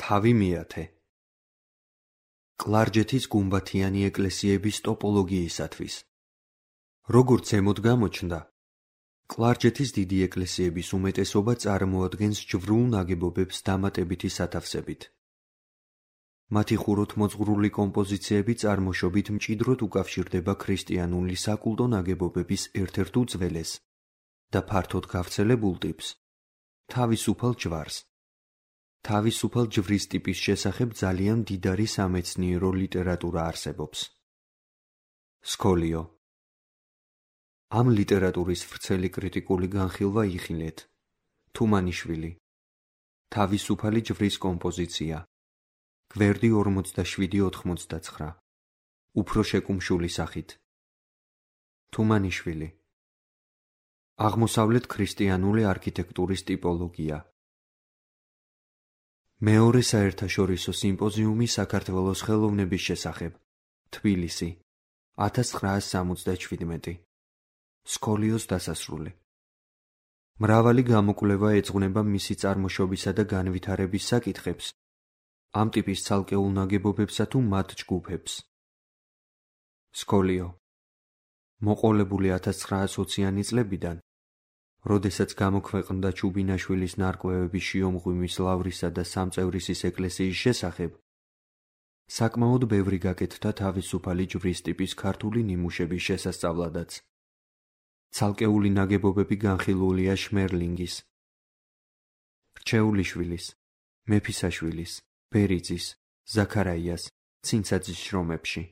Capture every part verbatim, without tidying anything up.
თავი მეათე. კლარჯეთის გუმბათიანი ეკლესიების ტოპოლოგიისათვის. როგორც ზემოთ გამოჩნდა, კლარჯეთის დიდი ეკლესიების უმეტესობა წარმოადგენს ჯვრულ ნაგებობებს დამატებითი სათავსებით. მათი ხუროთმოძღვრული კომპოზიციები წარმოშობით მჭიდროდ უკავშირდება ქრისტიანული საკულტო ნაგებობების ერთ-ერთ უძველეს და ფართოდ გავრცელებულ ტიპს, თავისუფალ ჯვარს. თავისუფალ ჯვრის ტიპის შესახებ ძალიან მდიდარი სამეცნიერო ლიტერატურა არსებობს. სკოლიო. ამ ლიტერატურის ვრცელი კრიტიკული განხილვა იხილეთ. თუმანიშვილი. თავისუფალი ჯვრის კომპოზიცია. გვერდი ორმოცდაშვიდი ოთხმოცდაცხრა. უფრო შეკუმშული სახით. თუმანიშვილი. აღმოსავლეთ ქრისტიანული არქიტექტურის ტიპოლოგია. მეორე საერთაშორისო სიმპოზიუმი საქართველოს ხელოვნების შესახებ. თბილისი. ათას ცხრაას სამოცდაჩვიდმეტი. სკოლიოს დასასრული. მრავალი გამოკვლევა ეძღვნება მისი წარმოშობისა და განვითარების საკითხებს, ამ ტიპის ცალკეულ ნაგებობებსა თუ მათ ჯგუფებს. სკოლიო. მოყოლებული ათას ცხრაას ოციანი წლებიდან, როდესაც გამოქვეყნდა ჩუბინაშვილის ნარკვევები შიომღვიმის ლავრისა და სამწევრისის ეკლესიის შესახებ, საკმაოდ ბევრი გაკეთდა თავისუფალი ჯვრის ტიპის ქართული ნიმუშების შესასწავლადაც. ცალკეული ნაგებობები განხილულია შმერლინგის, რჩეულიშვილის, მეფისაშვილის, ბერიძის, ზაქარაიას, ცინცაძის შრომებში.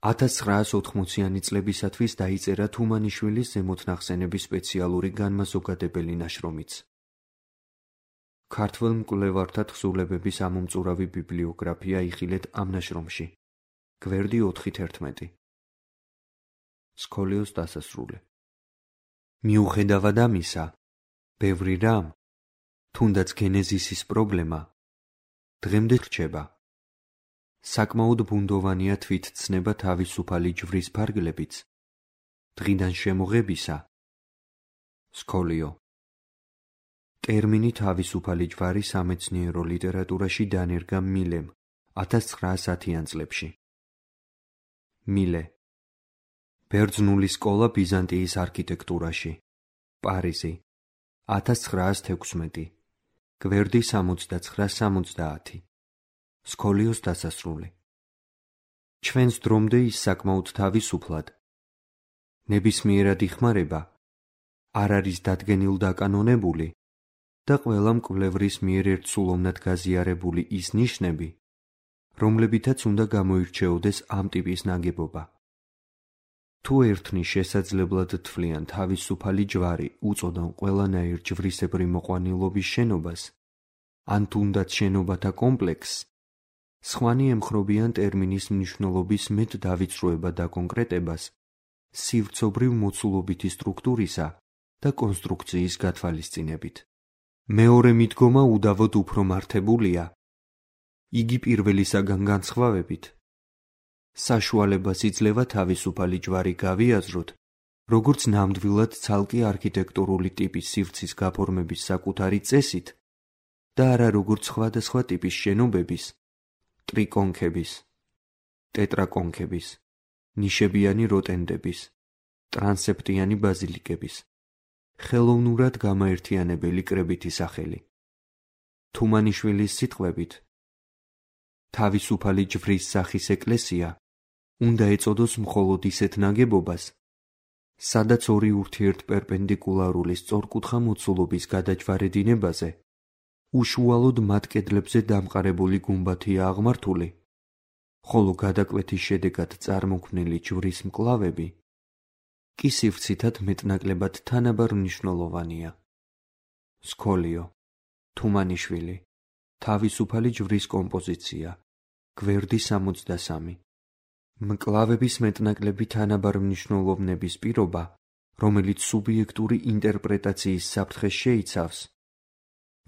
ათას ცხრაას ოთხმოციანი წლებისათვის დაიწერა თუმანიშვილის ზემოთნახსენების სპეციალური განმაზოგადებელი ნაშრომიც. ქართველ მკვლევართა თხზულებების ამომწურავი ბიბლიოგრაფია იხილეთ ამ ნაშრომში. გვერდი ოთხი თერთმეტი. სკოლიოს დასასრული. მიუხედავად ამისა, ბევრი რამ, თუნდაც გენეზისის პრობლემა, დღემდე რჩება. საკმაოდ ბუნდოვანია თვითცნება თავისუფალი ჯვრის ფარგლებიც, დღიდან შემოღებისა. სკოლიო. ტერმინი თავისუფალი ჯვარი სამეცნიერო ლიტერატურაში დანერგა მილემ ათას ცხრაას ათიან წლებში. მილე. ბერძნული სკოლა ბიზანტიის არქიტექტურაში. პარიზი. ათას ცხრაას თექვსმეტი. გვერდი სამოცდაცხრა სამოცდაათი. სკოლიოს დასასრული. ჩვენს დრომდე ის საკმაოდ თავისუფლად, ნებისმიერად იხმარება, არ არის დადგენილ-დაკანონებული და ყველა მკვლევრის მიერ ერთსულოვნად გაზიარებული ის ნიშნები, რომლებითაც უნდა გამოირჩეოდეს ამ ტიპის ნაგებობა. თუ ერთნი შესაძლებლად თვლიან თავისუფალი ჯვარი უწოდან ყველანაირ ჯვრისებრი მოყვანილობის შენობას, ან თუნდაც შენობათა კომპლექსს, სხვანი ემხრობიან ტერმინის მნიშვნელობის მეტ დავიწროება და კონკრეტებას, სივრცობრივ მოცულობითი სტრუქტურისა და კონსტრუქციის გათვალისწინებით. მეორე მიდგომა უდავოდ უფრო მართებულია. იგი პირველისაგან განსხვავებით, საშუალებას იძლევა თავისუფალი ჯვარი გავიაზროთ, როგორც ნამდვილად ცალკე არქიტექტურული ტიპის სივრცის გაფორმების საკუთარი წესით და არა როგორც სხვადასხვა ტიპის შენობების, ტრიკონქების, ტეტრაკონქების, ნიშებიანი როტენდების, ტრანსეპტიანი ბაზილიკების, ხელოვნურად გამაერთიანებელი კრებითი სახელი. თუმანიშვილის სიტყვებით, თავისუფალი ჯვრის სახის ეკლესია უნდა ეწოდოს მხოლოდ ისეთ ნაგებობას, სადაც ორი ურთიერთპერპენდიკულარული სწორკუთხა მოცულობის გადაჯვარედინებაზე უშუალოდ მათ კედლებზე დამყარებული გუმბათია აღმართული, ხოლო გადაკვეთის შედეგად წარმოქმნილი ჯვრის მკლავები კი სივრცითად მეტნაკლებად თანაბარ მნიშვნელოვანია. სკოლიო. თუმანიშვილი. თავისუფალი ჯვრის კომპოზიცია. გვერდი სამოცდასამი. მკლავების მეტნაკლები თანაბარ მნიშვნელოვნების პირობა, რომელიც სუბიექტური ინტერპრეტაციის საფრთხეს შეიცავს,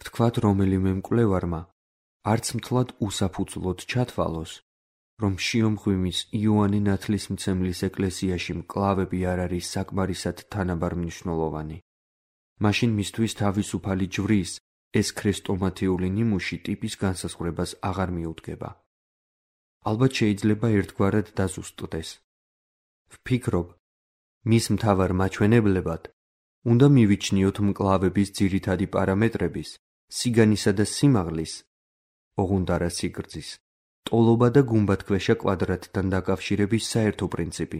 ვთქვათ რომელიმე მკვლევარმა, არც მთლად უსაფუძვლოდ ჩათვალოს, რომ შიომღვიმის იოანე ნათლისმცემლის ეკლესიაში მკლავები არ არის საკმარისად თანაბარ მნიშვნელოვანი. მაშინ მისთვის თავისუფალი ჯვრის ეს ქრესტომათიური ნიმუში ტიპის განსაზღვრებას აღარ მიუდგება. ალბათ შეიძლება ერთგვარად დაზუსტდეს. ვფიქრობ, მის მთავარ მაჩვენებლებად უნდა მივიჩნიოთ მკლავების ძირითადი პარამეტრების, სიგანისა და სიმაღლის, ოღონდ არა სიგრძის, ტოლობა და გუმბათქვეშა კვადრატთან დაკავშირების საერთო პრინციპი.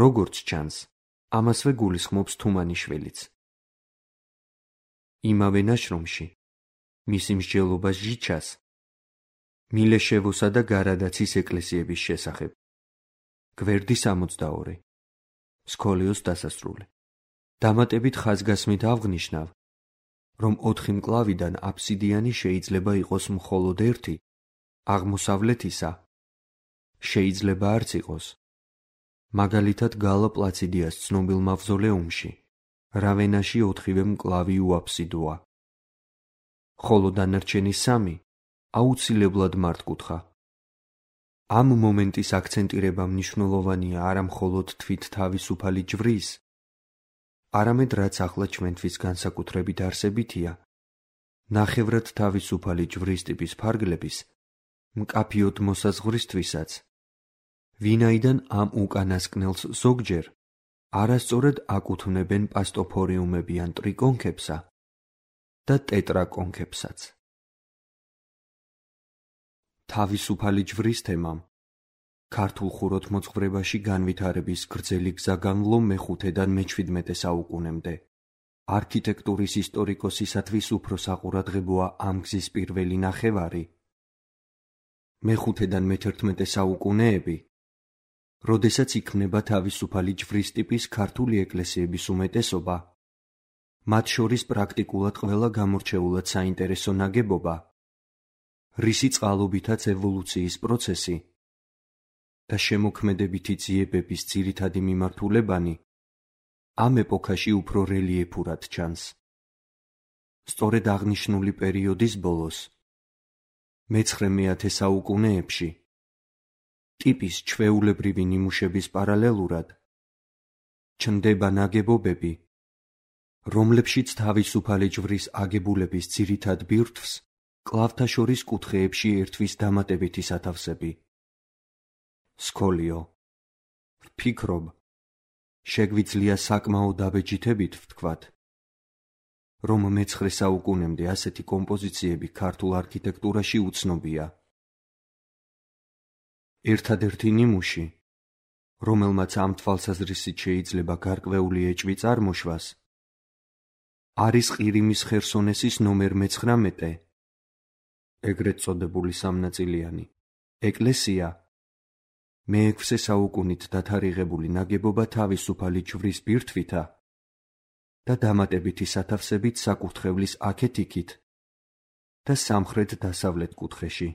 როგორც ჩანს, ამასვე გულისხმობს თუმანიშვილიც. იმავე ნაშრომში, მისი მსჯელობა ჟიჩას, მილეშევოსა და გარადაცის ეკლესიების შესახებ. გვერდი სამოცდაორი. სკოლიოს დასასრული. დამატებით ხაზგასმით ავღნიშნავ, რომ ოთხი მკლავიდან აფსიდიანი შეიძლება იყოს მხოლოდ ერთი, აღმოსავლეთისა შეიძლება არც იყოს. მაგალითად გალა პლაციდიას ცნობილ მავზოლეუმში, რავენაში ოთხივე მკლავი უაფსიდოა. ხოლო დანარჩენი სამი აუცილებლად მართკუთხა. ამ მომენტის აქცენტირება მნიშვნელოვანია არა მხოლოდ თვით თავისუფალი ჯვრის, არამედ რაც ახლა ჩვენთვის განსაკუთრებით არსებითია, ნახევრად თავისუფალი ჯვრის ტიპის ფარგლების მკაფიოდ მოსაზღვრისთვისაც, ვინაიდან ამ უკანასკნელს ზოგჯერ არასწორად აკუთვნებენ პასტოფორიუმებიან ტრიკონქებსა და ტეტრაკონქებსაც. თავისუფალი ჯვრის თემამ ქართულ ხუროთმოძღვრებაში განვითარების გრძელი გზა განვლო მეხუთედან მეჩვიდმეტე საუკუნემდე. არქიტექტურის ისტორიკოსისათვის უფრო საყურადღებოა ამ გზის პირველი ნახევარი. მეხუთედან მეთერთმეტე საუკუნეები, როდესაც იქმნება თავისუფალი ჯვრის ტიპის ქართული ეკლესიების უმეტესობა, მათ შორის პრაქტიკულად ყველა გამორჩეულად საინტერესო ნაგებობა, რისი წყალობითაც ევოლუციის პროცესი და შემოქმედებითი ძიებების ძირითადი მიმართულებანი ამ ეპოქაში უფრო რელიეფურად ჩანს. სწორედ აღნიშნული პერიოდის ბოლოს, მეცხრე-მეათე საუკუნეებში, ტიპის ჩვეულებრივი ნიმუშების პარალელურად ჩნდება ნაგებობები, რომლებშიც თავისუფალი ჯვრის აგებულების ძირითად ბირთვს კლავთა შორის კუთხეებში ერთვის დამატებითი სათავსები. სკოლიო. ვფიქრობ, შეგვიძლია საკმაოდ დაბეჯითებით ვთქვათ, რომ მეცხრე საუკუნემდე ასეთი კომპოზიციები ქართულ არქიტექტურაში უცნობია. ერთადერთი ნიმუში, რომელმაც ამ თვალსაზრისით შეიძლება გარკვეული ეჭვი წარმოშვას, არის ყირიმის ხერსონესის ნომერ მეცხრამეტე, ეგრეთ წოდებული სამნაწილიანი, ეკლესია, მეექვსე საუკუნით დათარიღებული ნაგებობა თავისუფალი ჯვრის ბირთვითა და დამატებითი სათავსებით საკურთხევლის აქეთ-იქით და სამხრეთ-დასავლეთ კუთხეში.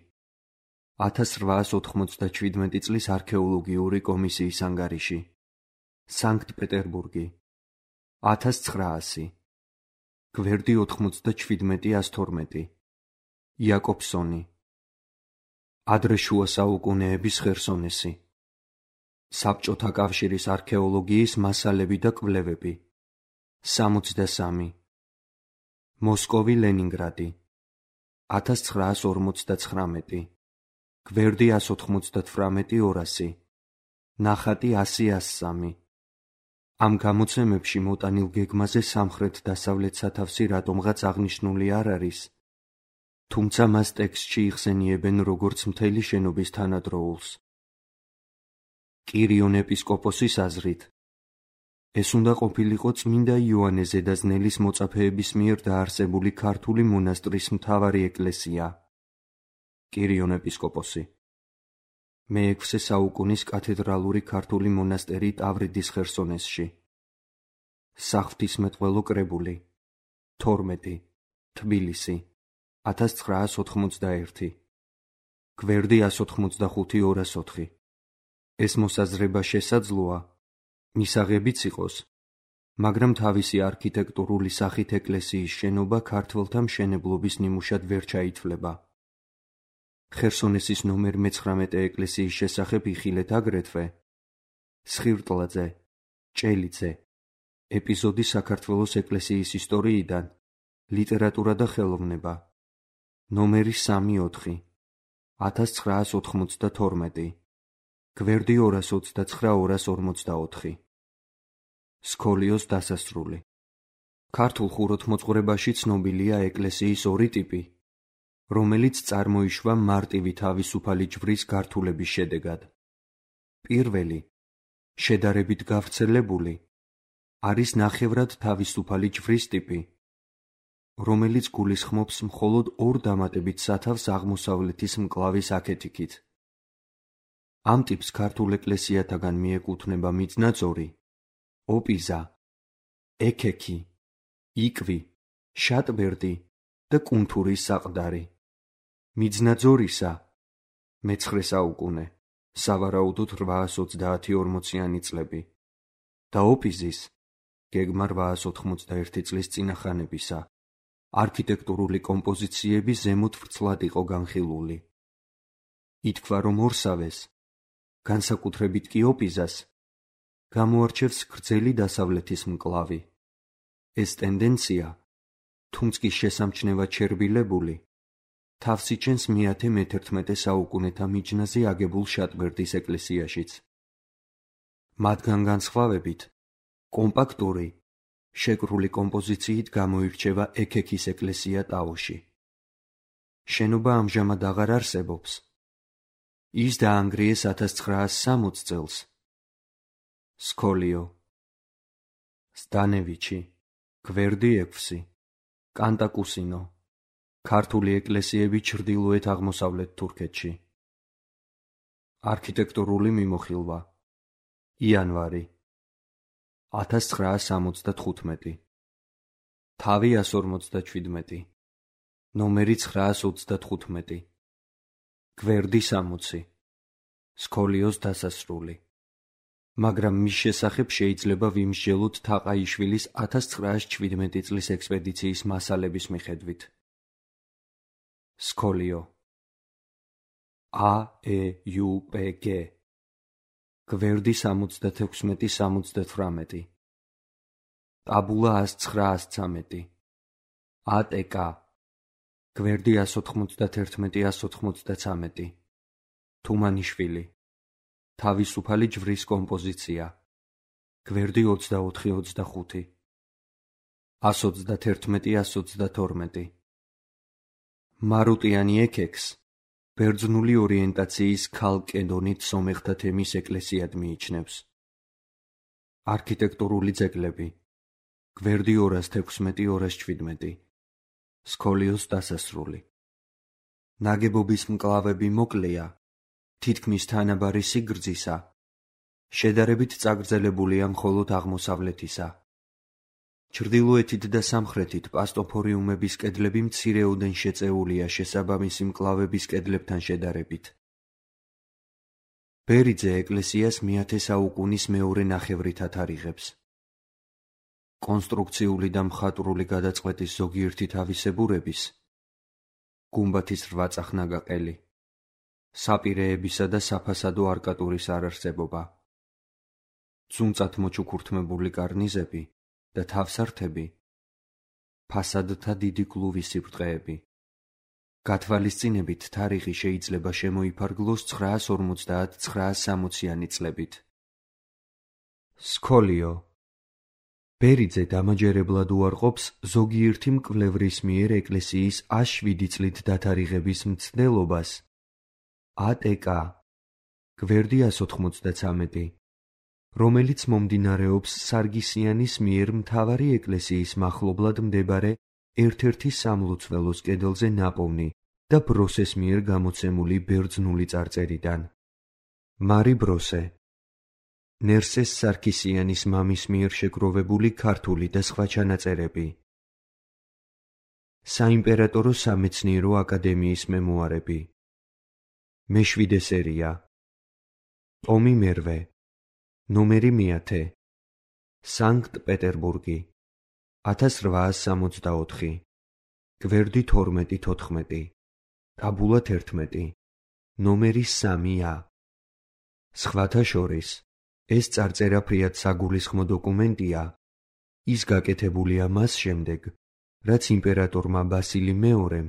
ათას რვაას ოთხმოცდაჩვიდმეტი წლის არქეოლოგიური კომისიის ანგარიში. სანქტ-პეტერბურგი. ათას ცხრაასი. გვერდი ოთხმოცდაჩვიდმეტი ას თორმეტი. იაკობსონი. ადრე შუა საუკუნეების ხერსონესი. საბჭოთა კავშირის არქეოლოგიის მასალები და კვლევები. სამოცდასამი. მოსკოვი ლენინგრადი. ათას ცხრაას ორმოცდაცხრამეტი. გვერდი ას ოთხმოცდათვრამეტი ორასი. ნახატი ასი ას სამი. ამ გამოცემებში მოტანილ გეგმაზე სამხრეთ-დასავლეთ სათავსი რატომღაც აღნიშნული არ არის, თუმცა მას ტექსტში იხსენიებენ როგორც მთელი შენობის თანადროულს. კირიონ ეპისკოპოსის აზრით, ეს უნდა ყოფილიყო წმინდა იოანე ზედაზნელის მოწაფეების მიერ დაარსებული ქართული მონასტრის მთავარი ეკლესია. კირიონ ეპისკოპოსი. მეექვსე საუკუნის კათედრალური ქართული მონასტერი ტავრიდის ხერსონესში. საღვთისმეტყველო კრებული. თორმეტი. თბილისი. ათას ცხრაას ოთხმოცდაერთი. გვერდი ას ოთხმოცდახუთი ორას ოთხი. ეს მოსაზრება შესაძლოა, მისაღებიც იყოს, მაგრამ თავისი არქიტექტურული სახით ეკლესიის შენობა ქართველთა მშენებლობის ნიმუშად ვერ ჩაითვლება. ხერსონესის ნომერ მეცხრამეტე ეკლესიის შესახებ იხილეთ აგრეთვე სხირტლაძე, ჭელიძე, ეპიზოდი საქართველოს ეკლესიის ისტორიიდან ლიტერატურა და ხელოვნება, ნომერი სამი ოთხი, ათას ცხრაას ოთხმოცდათორმეტი, გვერდი ორას ოცდაცხრა ორას ორმოცდაოთხი. სქოლიოს დასასრული. ქართულ ხუროთმოძღვრებაში ცნობილია ეკლესიის ორი ტიპი, რომელიც წარმოიშვა მარტივი თავისუფალი ჯვრის გართულების შედეგად. პირველი, შედარებით გავრცელებული, არის ნახევრად თავისუფალი ჯვრის ტიპი, რომელიც გულისხმობს მხოლოდ ორ დამატებით სათავს აღმოსავლეთის მკლავის აქეთიქით. ამ ტიპს ქართულ ეკლესიათაგან მიეკუთვნება მიწნაწორი, ოპიზა, ექექი, იკვი, შატბერდი და კუნთურის საყდარი. მიწნაძორისა მეცხრე საუკუნე, სავარაუდოდ რვაას ოცდაათი ორმოციანი წლები და ოპიზის გეგმა რვაას ოთხმოცდაერთი წლის წინახანებისა არქიტექტურული კომპოზიციები ზემოთ ვრცლად იყო განხილული. ითქვა, რომ ორსავეს, განსაკუთრებით კი ოპიზას, გამოარჩევს გრძელი დასავლეთის მკლავი. ეს ტენდენცია, თუმც კი შესამჩნევად შერბილებული, თავს იჩენს მეათე მეთერთმეტე საუკუნეთა მიჯნაზე აგებულ შატბერდის ეკლესიაშიც. მათგან განსხვავებით, კომპაქტური, შეკრული კომპოზიციით გამოირჩევა ექექის ეკლესია ტაოში. შენობა ამჟამად აღარ არსებობს. ის დაანგრიეს ათას ცხრაას სამოცს წელს. სქოლიო. სტანევიჩი, გვერდი ექვსი, კანტაკუსინო, ქართული ეკლესიები ჩრდილოეთ აღმოსავლეთ თურქეთში. არქიტექტურული მიმოხილვა. იანვარი ათას ცხრაას სამოცდათხუთმეტი, თავი ას ორმოცდაჩვიდმეტი, ნომერი ცხრაას ოცდათხუთმეტი, გვერდი სამოცი, სქოლიოს დასასრული. მაგრამ მის შესახებ შეიძლება ვიმსჯელოთ თაყაიშვილის ათას ცხრაას ჩვიდმეტი წლის ექსპედიციის მასალების მიხედვით. სქოლიო. ა ე იუ პ გ, გვერდი სამოცდათექვსმეტი სამოცდათვრამეტი, ტაბულა ას ცხრა ას ცამეტი, ა ტ კ, გვერდი ას ოთხმოცდათერთმეტი ას ოთხმოცდაცამეტი, თუმანიშვილი, თავისუფალი ჯვრის კომპოზიცია, გვერდი ოცდაოთხი ოცდახუთი, ას ოცდათერთმეტი ას ოცდათორმეტი. მარუტიანი ექექს ბერძნული ორიენტაციის ქალკედონით სომეხთა თემის ეკლესიად მიიჩნევს. არქიტექტურული ძეგლები. გვერდი ორას თექვსმეტი ორას ჩვიდმეტი, სქოლიოს დასასრული. ნაგებობის მკლავები მოკლეა, თითქმის თანაბარი სიგრძისა, შედარებით წაგრძელებულია მხოლოდ აღმოსავლეთისა. ჩრდილოეთით და სამხრეთით პასტოფორიუმების კედლები მცირეოდენ შეწეულია შესაბამისი მკლავების კედლებთან შედარებით. ბერიძე ეკლესიას მეათე საუკუნის მეორე ნახევრით ათარიღებს. კონსტრუქციული და მხატვრული გადაწყვეტის ზოგიერთი თავისებურების, გუმბათის რვაწახნაგა ყელი, საპირეებისა და საფასადო არკატურის არარსებობა, ძუნწად მოჩუქურთმებული კარნიზები და თავსართები, ფასადთა დიდი კლუვის სიბრტყეები. გათვალისწინებით თარიღი შეიძლება შემოიფარგლოს ცხრაას ორმოცდაათ ცხრაას სამოციანი წლებით. სქოლიო. ბერიძე დამაჯერებლად უარყოფს ზოგიერთი მკვლევრის მიერ ეკლესიის ას შვიდი წლით დათარიღების მცდელობას. ა ტ კ, გვერდი ას ოთხმოცდაცამეტი, რომელიც მომდინარეობს სარგისიანის მიერ მთავარი ეკლესიის მახლობლად მდებარე ერთ-ერთი სამლოცველოს კედელზე ნაპოვნი და ბროსეს მიერ გამოცემული ბერძნული წარწერიდან. მარი ბროსე. ნერსეს სარქისიანის მამის მიერ შეგროვებული ქართული და სხვა ჩანაწერები. საიმპერატორო სამეცნიერო აკადემიის მემუარები. მეშვიდე სერია. ტომი მერვე. ნომერი მეათე. სანქტ-პეტერბურგი. ათას რვაას სამოცდაოთხი. გვერდი თორმეტი თოთხმეტი. ტაბულა თერთმეტი. ნომერი სამი ა. სხვათა შორის, ეს წარწერა ფრიად საგულისხმო დოკუმენტია, ის გაკეთებულია მას შემდეგ, რაც იმპერატორმა ბასილი მეორემ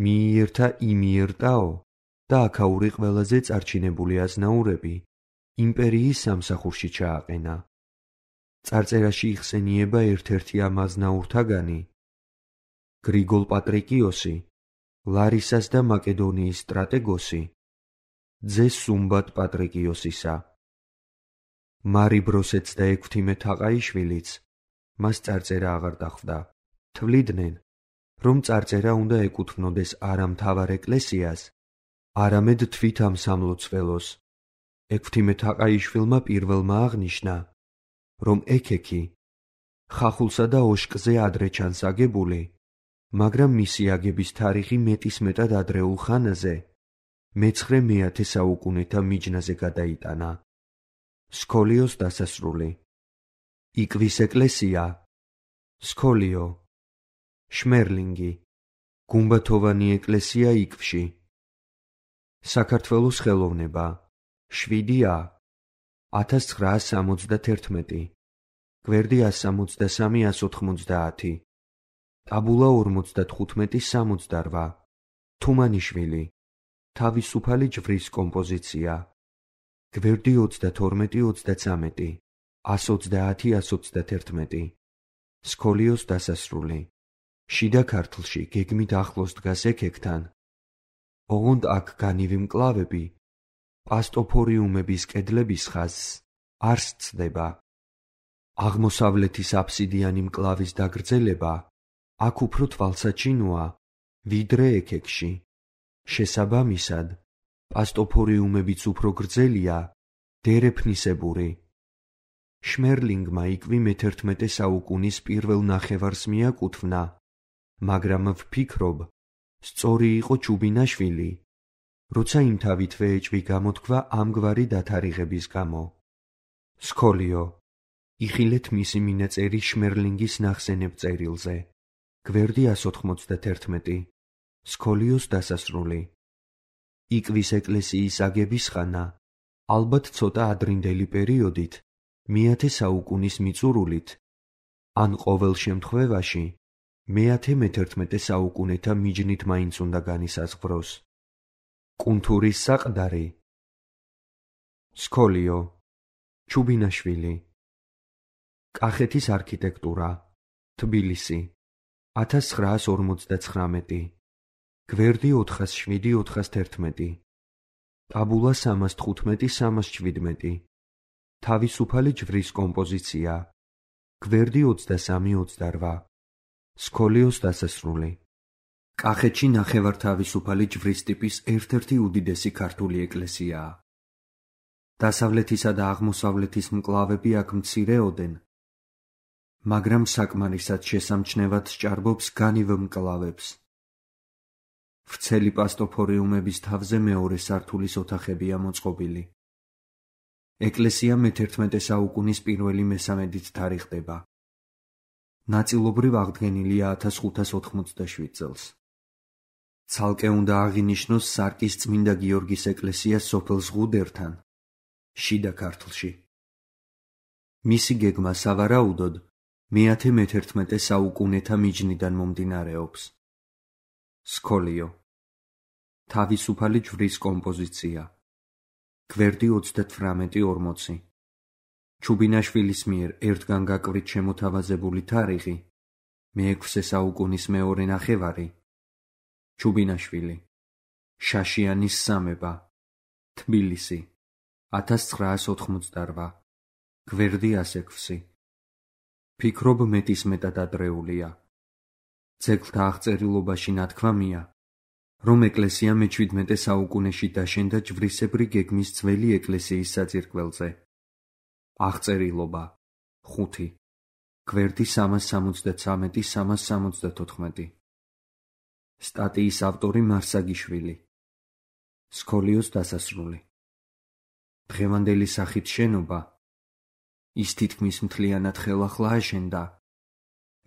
მიიერთა იმიერტაო და აქაური ყველაზე წარჩინებული აზნაურები იმპერიის სამსახურში ჩააყენა. წარწერაში იხსენიება ერთ-ერთი ამ აზნაურთაგანი გრიგოლ პატრიკიოსი, ლარისას და მაკედონიის სტრატეგოსი, ძე სუმბატ პატრიკიოსისა. მარი ბროსეც და ექვთიმე თაყაიშვილიც მას წარწერა აღარ დახვდა. თვლიდნენ, რომ წარწერა უნდა ეკუთვნოდეს არა მთავარ ეკლესიას, არამედ თვით ამ სამლოცველოს. ექვთიმე თაყაიშვილმა პირველმა აღნიშნა, რომ ექექი ხახულსა და ოშკზე ადრე ჩანს აგებული, მაგრამ მისი აგების თარიღი მეტისმეტად ადრეულ ხანაზე, მეცხრე-მეათე საუკუნეთა მიჯნაზე გადაიტანა. სქოლიოს დასასრული. იკვის ეკლესია, სქოლიო, შმერლინგი, გუმბათოვანი ეკლესია იკვში. საქართველოს ხელოვნება, შვიდი ა, ათას ცხრაას სამოცდათერთმეტი, გვერდი ას სამოცდასამი ას ოთხმოცდაათი, ტაბულა ორმოცდათხუთმეტი სამოცდარვა, თუმანიშვილი, თავისუფალი ჯვრის კომპოზიცია, გვერდი ოცდათორმეტი ოცდაცამეტი, ას ოცდაათი ას ოცდათერთმეტი, სქოლიოს დასასრული. შიდა ქართლში გეგმით ახლოს დგას ექეკთან, ოღონდ აქ განივი მკლავები პასტოფორიუმების კედლების ხაზს არ სცდება. აღმოსავლეთის აფსიდიანი მკლავის დაგრძელება აქ უფრო თვალსაჩინოა, ვიდრე ექეკში. შესაბამისად, პასტოფორიუმებიც უფრო გრძელია, დერეფნისებური. შმერლინგმა იკვი მეთერთმეტე საუკუნის პირველ ნახევარს მიაკუთვნა, მაგრამ ვფიქრობ, სწორი იყო ჩუბინაშვილი, როცა იმთავითვე ეჭვი გამოთქვა ამგვარი დათარიღების გამო. სქოლიო. იხილეთ მისი მინაწერი შმერლინგის ნახსენებ წერილზე. გვერდი ას ოთხმოცდათერთმეტი. სქოლიოს დასასრული. იკვის ეკლესიის აგების ხანა, ალბათ ცოტა ადრინდელი პერიოდით, მეათე საუკუნის მიწურულით, ან ყოველ შემთხვევაში, მეათე მეთერთმეტე საუკუნეთა მიჯნით მაინც უნდა განისაზღვროს. კუნთურის საყდარი. სქოლიო, ჩუბინაშვილი. კახეთის არქიტექტურა, თბილისი, ათას ცხრაას ორმოცდაცხრამეტი, გვერდი ოთხას შვიდი ოთხას თერთმეტი, ტაბულა სამას თხუთმეტი სამას შვიდმეტი, თავისუფალი ჯვრის კომპოზიცია, გვერდი ოცდასამი ოცდარვა, სქოლიოს დასასრული. კახეთში ნახევართავისუფალი ჯვრის ტიპის ერთ-ერთი უდიდესი ქართული ეკლესიაა. დასავლეთისა და აღმოსავლეთის მკლავები აქ მცირეოდენ, მაგრამ საკმარისად შესამჩნევად სჭარბობს განივ მკლავებს. ვრცელი პასტოფორიუმების თავზე მეორე სართულის ოთახებია მოწყობილი. ეკლესია მეთერთმეტე საუკუნის პირველი მესამედით თარიღდება. ნაწილობრივ აღდგენილია ათას ხუთას ოთხმოცდაშვიდ წელს. ცალკე უნდა აღინიშნოს სარკის წმინდა გიორგის ეკლესია სოფელ ზღუდერთან, შიდა ქართლში. მისი გეგმა სავარაუდოდ მეათე მეთერთმეტე საუკუნეთა მიჯნიდან მომდინარეობს. სქოლიო. თავისუფალი ჯვრის კომპოზიცია. გვერდი ოცდათვრამეტი ორმოცი. ჩუბინაშვილის მიერ ერთგან გაკვრით შემოთავაზებული თარიღი მეექვსე საუკუნის მეორე ნახევარი. ჩუბინაშვილი. შაშიანის სამება. თბილისი. ათას ცხრაას ოთხმოცდარვა. გვერდი ას ექვსი. ფიქრობ მეტისმეტად ადრეულია. ძეგლთა აღწერილობაში ნათქვამია, რომ ეკლესია მეჩვიდმეტე საუკუნეში დაშენდა ჯვრისებრი გეგმის ძველი ეკლესიის საძირკველზე. აღწერილობა ხუთი. გვერდი სამას სამოცდაცამეტი სამას სამოცდათოთხმეტი. სტატიის ავტორი მარსაგიშვილი. სქოლიოს დასასრული. დღევანდელი სახით შენობა, ის თითქმის მთლიანად ხელახლა აშენდა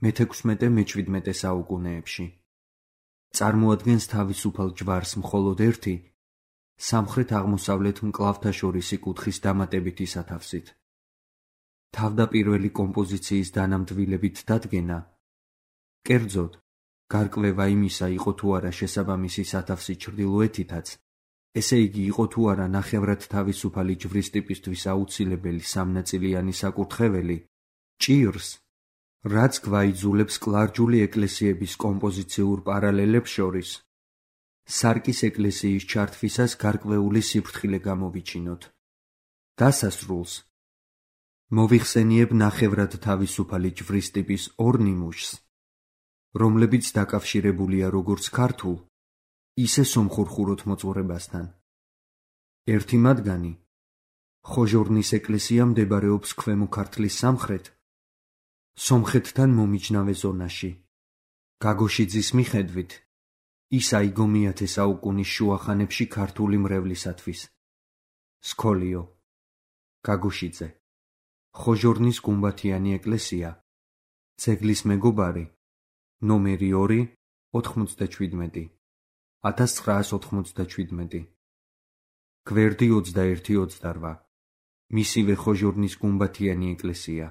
მეთექვსმეტე მეჩვიდმეტე საუკუნეებში. წარმოადგენს თავისუფალ ჯვარს მხოლოდ ერთი, სამხრეთ-აღმოსავლეთ მკლავთაშორისი კუთხის დამატებითი სათავსით. თავდაპირველი კომპოზიციის დანამდვილებით დადგენა კერძოდ, გარკვევა იმისა იყო თუ არა შესაბამისი სათავსი ჩრდილოეთითაც, ესე იგი იყო თუ არა ნახევრად თავისუფალი ჯვრის ტიპისთვის აუცილებელი სამნაწილიანი საკურთხეველი, ჭირს, რაც გვაიძულებს კლარჯული ეკლესიების კომპოზიციურ პარალელებს შორის, სარკის ეკლესიის ჩართვისას გარკვეული სიფრთხილე გამოვიჩინოთ. დასასრულს მოვიხსენიებ ნახევრად თავისუფალი ჯვრის ტიპის ორ ნიმუშს, რომლებიც დაკავშირებულია როგორც ქართულ, ისე სომხურ ხუროთმოძღვრებასთან. ერთი მათგანი, ხოჟორნის ეკლესია მდებარეობს ქვემო ქართლის სამხრეთ, სომხეთთან მომიჯნავე ზონაში. გაგოშიძის მიხედვით, ის აიგო მეათე საუკუნის შუა ხანებში ქართული მრევლისათვის. სქოლიო. გაგოშიძე. ხოჟორნის გუმბათიანი ეკლესია. ძეგლის მეგობარი. ნომერი ორი, ოთხმოცდაჩვიდმეტი. ათას ცხრაას ოთხმოცდაჩვიდმეტი. გვერდი ოცდაერთი ოცდარვა. მისივე ხოჟორნის გუმბათიანი ეკლესია.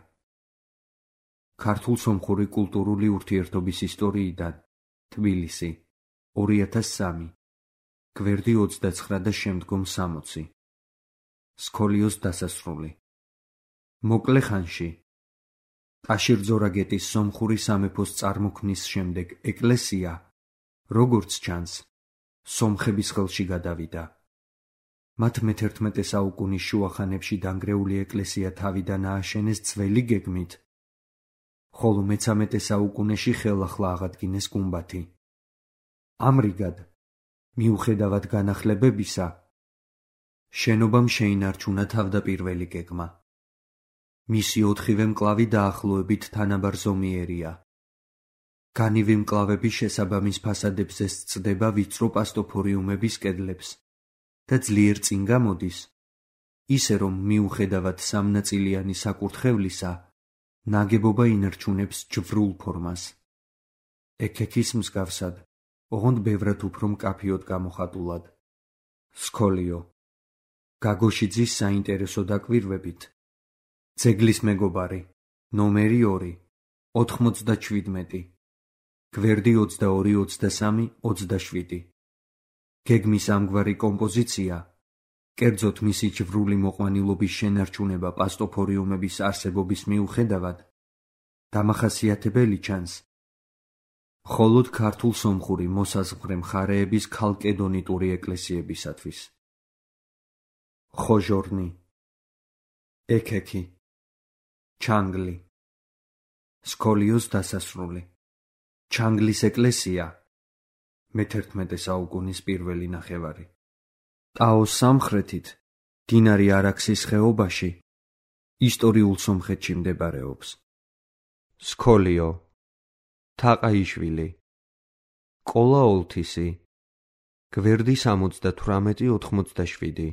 ქართულ-სომხური კულტურული ურთიერთობის ისტორიიდან. თბილისი. ორი ათას სამი. გვერდი ოცდაცხრა და შემდგომ სამოცი. სქოლიოს დასასრული. მოკლე ხანში ტაშირ-ძორაგეტის სომხური სამეფოს წარმოქმნის შემდეგ ეკლესია, როგორც ჩანს, სომხების ხელში გადავიდა. მათ მეთერთმეტე საუკუნის შუა ხანებში დანგრეული ეკლესია თავიდან ააშენეს ძველი გეგმით, ხოლო მეცამეტე საუკუნეში ხელახლა აღადგინეს გუმბათი. ამრიგად, მიუხედავად განახლებებისა, შენობამ შეინარჩუნა თავდაპირველი გეგმა. მისი ოთხივე მკლავი დაახლოებით თანაბარ ზომიერია. განივი მკლავების შესაბამის ფასადებზე სცდება ვიწრო პასტოფორიუმების კედლებს და ძლიერ წინ გამოდის, ისე რომ მიუხედავად სამნაწილიანი საკურთხევლისა, ნაგებობა ინარჩუნებს ჯვრულ ფორმას. ექექის მსგავსად, ოღონდ ბევრად უფრო მკაფიოდ გამოხატულად. სქოლიო. გაგოშიძის საინტერესო დაკვირვებით. ძეგლის მეგობარი. ნომერი ორი, ოთხმოცდაჩვიდმეტი. გვერდი ოცდაორი ოცდასამი ოცდაშვიდი. გეგმის ამგვარი კომპოზიცია, კერძოდ მისი ჯვრული მოყვანილობის შენარჩუნება პასტოფორიუმების არსებობის მიუხედავად, დამახასიათებელი ჩანს მხოლოდ ქართულ-სომხური მოსაზღვრე მხარეების ქალკედონიტური ეკლესიებისათვის. ხოჟორნი. ექექი. ჩანგლი. სქოლიოს დასასრული. ჩანგლის ეკლესია, მეთერთმეტე საუკუნის პირველი ნახევარი. ტაოს სამხრეთით, მდინარე არაქსის ხეობაში, ისტორიულ სომხეთში მდებარეობს. სქოლიო. თაყაიშვილი. ყოლა ოლთისი. გვერდი სამოცდათვრამეტი ოთხმოცდაშვიდი.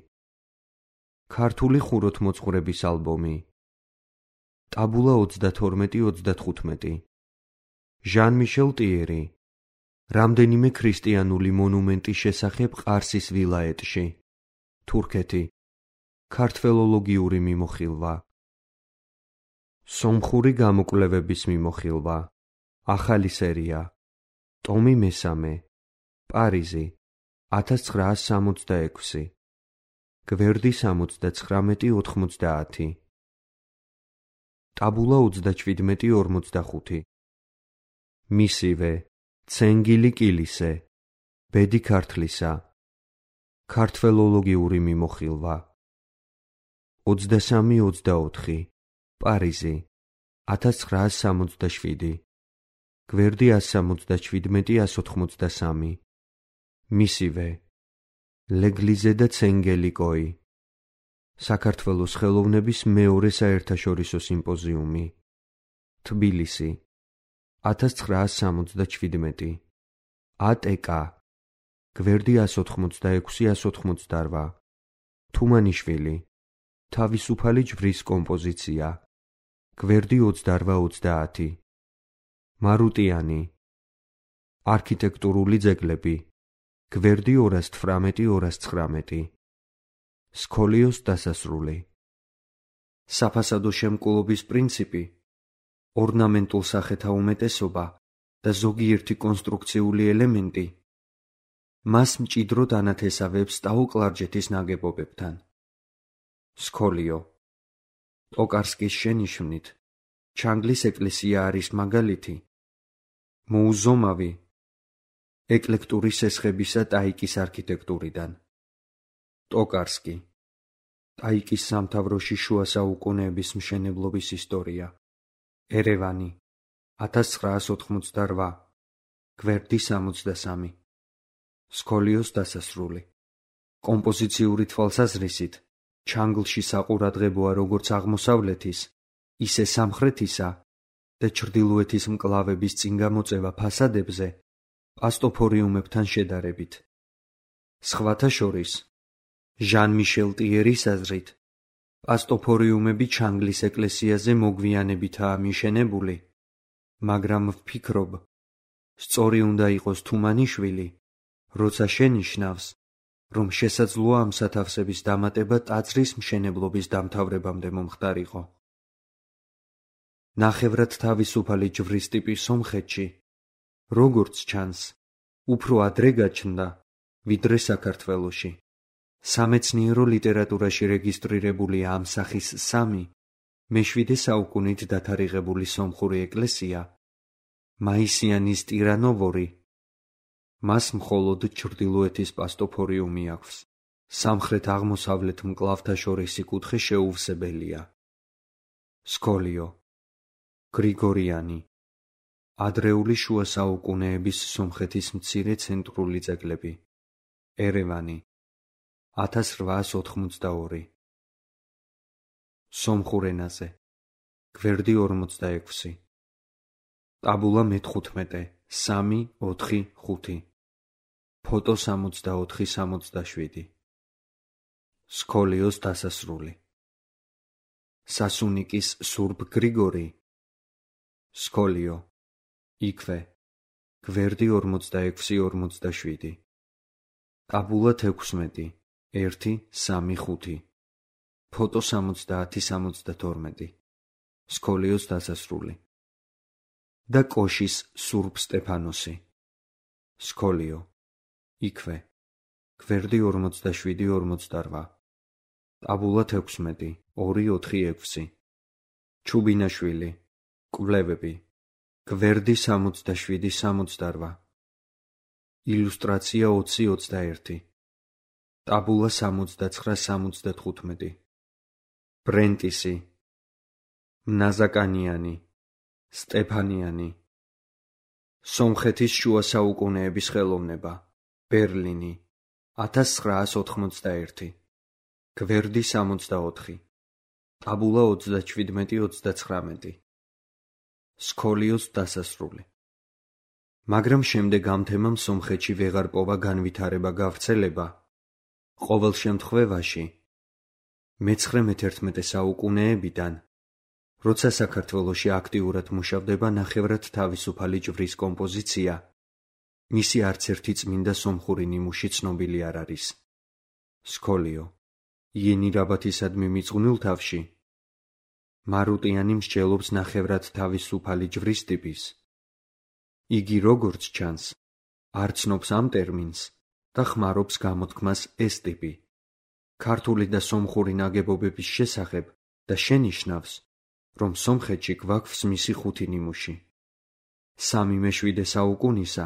ქართული ხუროთმოძღვრების ალბომი. ტაბულა ოცდათორმეტი ოცდათხუთმეტი. ჟან-მიშელ ტიერი. რამდენიმე ქრისტიანული მონუმენტის შესახებ ყარსის ვილაეტში. თურქეთი. ქართველოლოგიური მიმოხილვა. სომხური გამოკვლევების მიმოხილვა. ახალი სერია. ტომი მესამე. პარიზი. ათას ცხრაას სამოცდაექვსი. გვერდი სამოცდაცხრამეტი ოთხმოცდაათი. ტაბულა ოცდაჩვიდმეტი ორმოცდახუთი. მისივე. ცენგილი კილისე. ბედი ქართლისა. ქართველოლოგიური მიმოხილვა. ოცდასამი ოცდაოთხი. პარიზი. ათას ცხრაას სამოცდაშვიდი. გვერდი ას სამოცდაჩვიდმეტი ას ოთხმოცდასამი. მისივე. ლეგლიზე და ცენგელიკოი. საქართველოს ხელოვნების მეორე საერთაშორისო სიმპოზიუმი. თბილისი. ათას ცხრაას სამოცდაჩვიდმეტი. ატეკა. გვერდი ას ოთხმოცდაექვსი ას ოთხმოცდარვა. თუმანიშვილი. თავისუფალი ჯვრის კომპოზიცია. გვერდი ოცდარვა ოცდაათი. მარუტიანი. არქიტექტურული ძეგლები. გვერდი ორას თვრამეტი ორას ცხრამეტი. სქოლიოს დასასრული. საფასადო შემკულობის პრინციპი, ორნამენტულ სახეთა უმეტესობა და ზოგიერთი კონსტრუქციული ელემენტი მას მჭიდროდ ანათესავებს სტაუკლარჯეთის ნაგებობებთან. სქოლიო. ტოკარსკის შენიშვნით ჩანგლის ეკლესია არის მაგალითი მოუზომავი ეკლექტური სესხებისა ტაიკის არქიტექტურიდან. ტოკარსკი. ტაიკის სამთავროში შუა საუკუნეების მშენებლობის ისტორია. ერევანი. ათას ცხრაას ოთხმოცდარვა. გვერდი სამოცდასამი. სქოლიოს დასასრული. კომპოზიციური თვალსაზრისით ჩანგლში საყურადღებოა როგორც აღმოსავლეთის, ისე სამხრეთისა და ჩრდილოეთის მკლავების წინ გამოწევა ფასადებზე პასტოფორიუმებთან შედარებით. სხვათა შორის, ჟან-მიშელ ტიერის აზრით, პასტოფორიუმები ჩანგლის ეკლესიაზე მოგვიანებითაა მიშენებული, მაგრამ ვფიქრობ, სწორი უნდა იყოს თუმანიშვილი, როცა შენიშნავს, რომ შესაძლოა ამ სათავსების დამატება ტაძრის მშენებლობის დამთავრებამდე მომხდარიყო. ნახევრად თავისუფალი ჯვრის ტიპი სომხეთში, როგორც ჩანს, უფრო ადრე გაჩნდა, ვიდრე საქართველოში. სამეცნიერო ლიტერატურაში რეგისტრირებულია ამ სახის სამი, მეშვიდე საუკუნით დათარიღებული სომხური ეკლესია, მაისიანის ტირანოვორი. მას მხოლოდ ჩრდილოეთის პასტოფორიუმი აქვს. სამხრეთ-აღმოსავლეთ მკლავთაშორისი კუთხე შეუვსებელია. სქოლიო. გრიგორიანი. ადრეული შუა საუკუნეების სომხეთის მცირე ცენტრული ძეგლები. ერევანი. ათას რვაას ოთხმოცდაორი. სომხურ ენაზე. გვერდი ორმოცდაექვსი. ტაბულა მეთხუთმეტე, სამი, ოთხი, ხუთი. ფოტო სამოცდაოთხი სამოცდაშვიდი. სქოლიოს დასასრული. სასუნიკის სურბ გრიგორი. სქოლიო. იქვე. გვერდი ორმოცდაექვსი ორმოცდაშვიდი. ტაბულა თექვსმეტი, ერთი, სამი, ხუთი. ფოტო სამოცდაათი სამოცდათორმეტი. სქოლიოს დასასრული. და კოშის სურბ სტეფანოსი. სქოლიო. იქვე. გვერდი ორმოცდაშვიდი ორმოცდარვა. ტაბულა თექვსმეტი, ორი, ოთხი, ექვსი. ჩუბინაშვილი. კვლევები. გვერდი სამოცდაშვიდი სამოცდარვა. ილუსტრაცია ოცი ოცდაერთი. ტაბულა სამოცდაცხრა სამოცდათხუთმეტი. ბრენტისი. მნაზაკანიანი. სტეფანიანი. სომხეთის შუა საუკუნეების ხელოვნება. ბერლინი. ათას ცხრაას ოთხმოცდაერთი. გვერდი სამოცდაოთხი. ტაბულა ოცდაჩვიდმეტი ოცდაცხრამეტი. სქოლიოს დასასრული. მაგრამ შემდეგ ამ თემამ სომხეთში ვეღარ პოვა განვითარება გავრცელება. ყოველ შემთხვევაში, მეცხრე-მეთერთმეტე საუკუნეებიდან, როცა საქართველოში აქტიურად მუშავდება ნახევრად თავისუფალი ჯვრის კომპოზიცია, მისი არცერთი წმინდა სომხური ნიმუში ცნობილი არ არის. სქოლიო. იენირაბათისადმი მიძღვნილ თავში მარუტიანი მსჯელობს ნახევრად თავისუფალი ჯვრის ტიპის. იგი როგორც ჩანს, არ ცნობს ამ ტერმინს და ხმარობს გამოთქმას ეს ტიპი. ქართული და სომხური ნაგებობების შესახებ და შენიშნავს, რომ სომხეთში გვაქვს მისი ხუთი ნიმუში. სამი მეშვიდე საუკუნისა,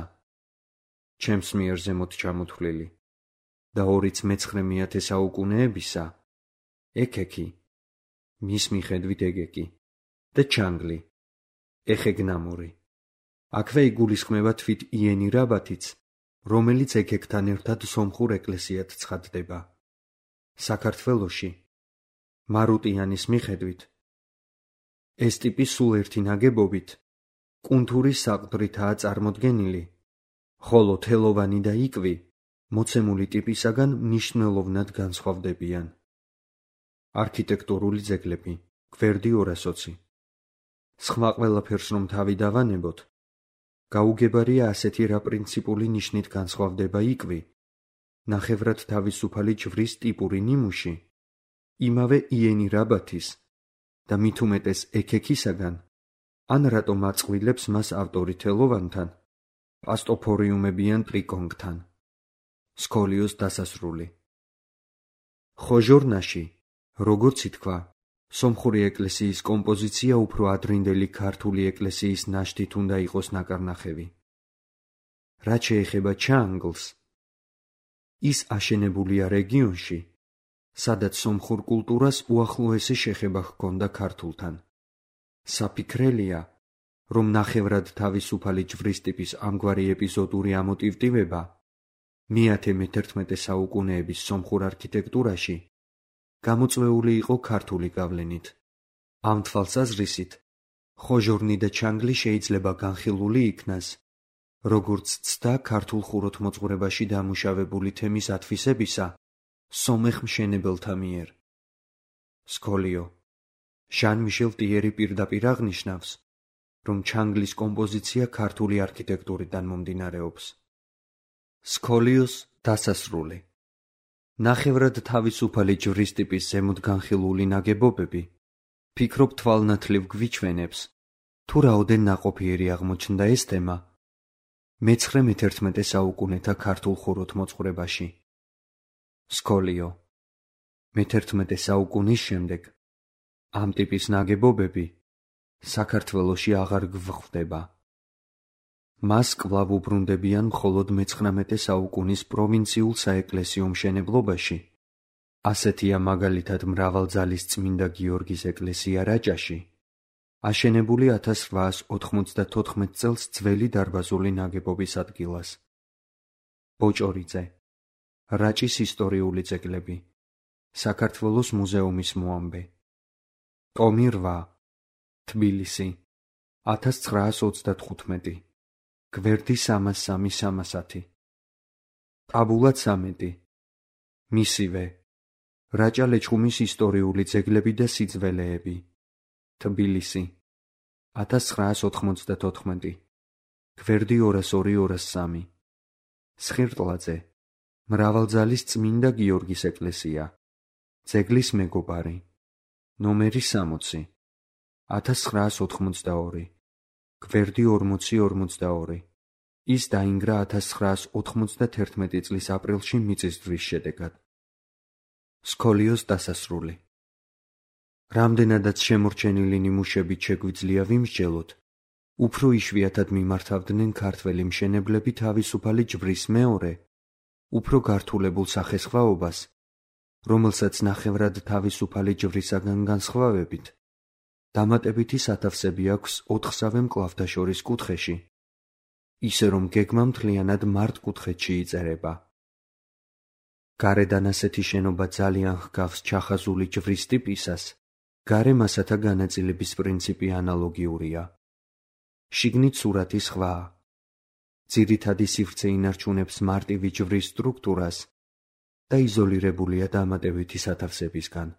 ჩემს მიერ ზემოთ ჩამოთვლილი, და ორიც მეცხრე მეათე საუკუნეებისა, ექექი, მის მიხედვით ეგეკი, და ჩანგლი, ეხეგნამური. აქვე იგულისხმება თვით იენირაბათიც, რომელიც ექეკთან ერთად სომხურ ეკლესიად ცხადდება. საქართველოში, მარუტიანის მიხედვით, ეს ტიპი სულ ერთი ნაგებობით, კუნთურის საყდრითაა წარმოდგენილი, ხოლო თელოვანი და იკვი მოცემული ტიპისაგან მნიშვნელოვნად განსხვავდებიან. არქიტექტურული ძეგლები, გვერდი ორასოცი. სხვა ყველაფერს რომ თავი დავანებოთ, გაუგებარია ასეთი რა პრინციპული ნიშნით განსხვავდება იკვი, ნახევრად თავისუფალი ჯვრის ტიპური ნიმუში, იმავე იენირაბათის და მით უმეტეს ექექისაგან, ან რატომ აწყვილებს მას ავტორითელოვანთან, პასტოფორიუმებიან ტრიკონგთან. სქოლიოს დასასრული. ხოჟორნაში, როგორც ითქვა, სომხური ეკლესიის კომპოზიცია უფრო ადრინდელი ქართული ეკლესიის ნაშთით უნდა იყოს ნაკარნახევი. რაც შეეხება ჩანგლს, ის აშენებულია რეგიონში, სადაც სომხურ კულტურას უახლოესი შეხება ჰქონდა ქართულთან. საფიქრელია, რომ ნახევრად თავისუფალი ჯვრის ტიპის ამგვარი ეპიზოდური ამოტივტივება მეათე მეთერთმეტე საუკუნეების სომხურ არქიტექტურაში გამოწვეული იყო ქართული გავლენით. ამ თვალსაზრისით, ხოჟორნი და ჩანგლი შეიძლება განხილული იქნას, როგორც ცდა ქართულ ხუროთმოძღვრებაში დამუშავებული თემის ათვისებისა სომეხ მშენებელთა მიერ. სქოლიო. ჟან-მიშელ ტიერი პირდაპირ აღნიშნავს, რომ ჩანგლის კომპოზიცია ქართული არქიტექტურიდან მომდინარეობს. სქოლიოს დასასრული. ნახევრად თავისუფალი ჯვრის ტიპის ზემოთ განხილული ნაგებობები, ფიქრობ თვალნათლივ გვიჩვენებს, თუ რაოდენ ნაყოფიერი აღმოჩნდა ეს თემა მეცხრე მეთერთმეტე საუკუნეთა ქართულ ხუროთმოძღვრებაში. სქოლიო. მეთერთმეტე საუკუნის შემდეგ ამ ტიპის ნაგებობები საქართველოში აღარ გვხვდება. მას კვლავ უბრუნდებიან მხოლოდ მეცხრამეტე საუკუნის პროვინციულ საეკლესიო მშენებლობაში. ასეთია მაგალითად მრავალძალის წმინდა გიორგის ეკლესია რაჭაში, აშენებული ათას რვაას ოთხმოცდათოთხმეტ წელს ძველი დარბაზული ნაგებობის ადგილას. ბოჭორიძე. რაჭის ისტორიული ძეგლები. საქართველოს მუზეუმის მოამბე. ტომი რვა. თბილისი. ათას ცხრაას ოცდათხუთმეტი. გვერდი სამას სამი სამასათი. ტაბულა ცამეტი. მისივე. რაჭა ლეჩხუმის ისტორიული ძეგლები და სიძველეები. თბილისი. ათას ცხრაას ოთხმოცდათოთხმეტი. გვერდი ორას ორი ორას სამი. სხირტლაძე. მრავალძალის წმინდა გიორგის ეკლესია. ძეგლის მეგობარი. ნომერი სამოცი. ათას ცხრაას ოთხმოცდაორი. გვერდი ორმოცი ორმოცდაორი. ის დაინგრა ათას ცხრაას ოთხმოცდათერთმეტი წლის აპრილში მიწისძვრის შედეგად. სქოლიოს დასასრული. რამდენადაც შემორჩენილი ნიმუშებით შეგვიძლია ვიმსჯელოთ, უფრო იშვიათად მიმართავდნენ ქართველი მშენებლები თავისუფალი ჯვრის მეორე, უფრო გართულებულ სახესხვაობას, რომელსაც ნახევრად თავისუფალი ჯვრისაგან განსხვავებით დამატებითი სათავსები აქვს ოთხსავე მკლავთა შორის კუთხეში, ისე რომ გეგმა მთლიანად მართკუთხედში იწერება. გარედან ასეთი შენობა ძალიან ჰგავს ჩახაზული ჯვრის ტიპისას, გარე მასათა განაწილების პრინციპი ანალოგიურია. შიგნით სურათი სხვაა. ძირითადი სივრცე ინარჩუნებს მარტივი ჯვრის სტრუქტურას და იზოლირებულია დამატებითი სათავსებისგან.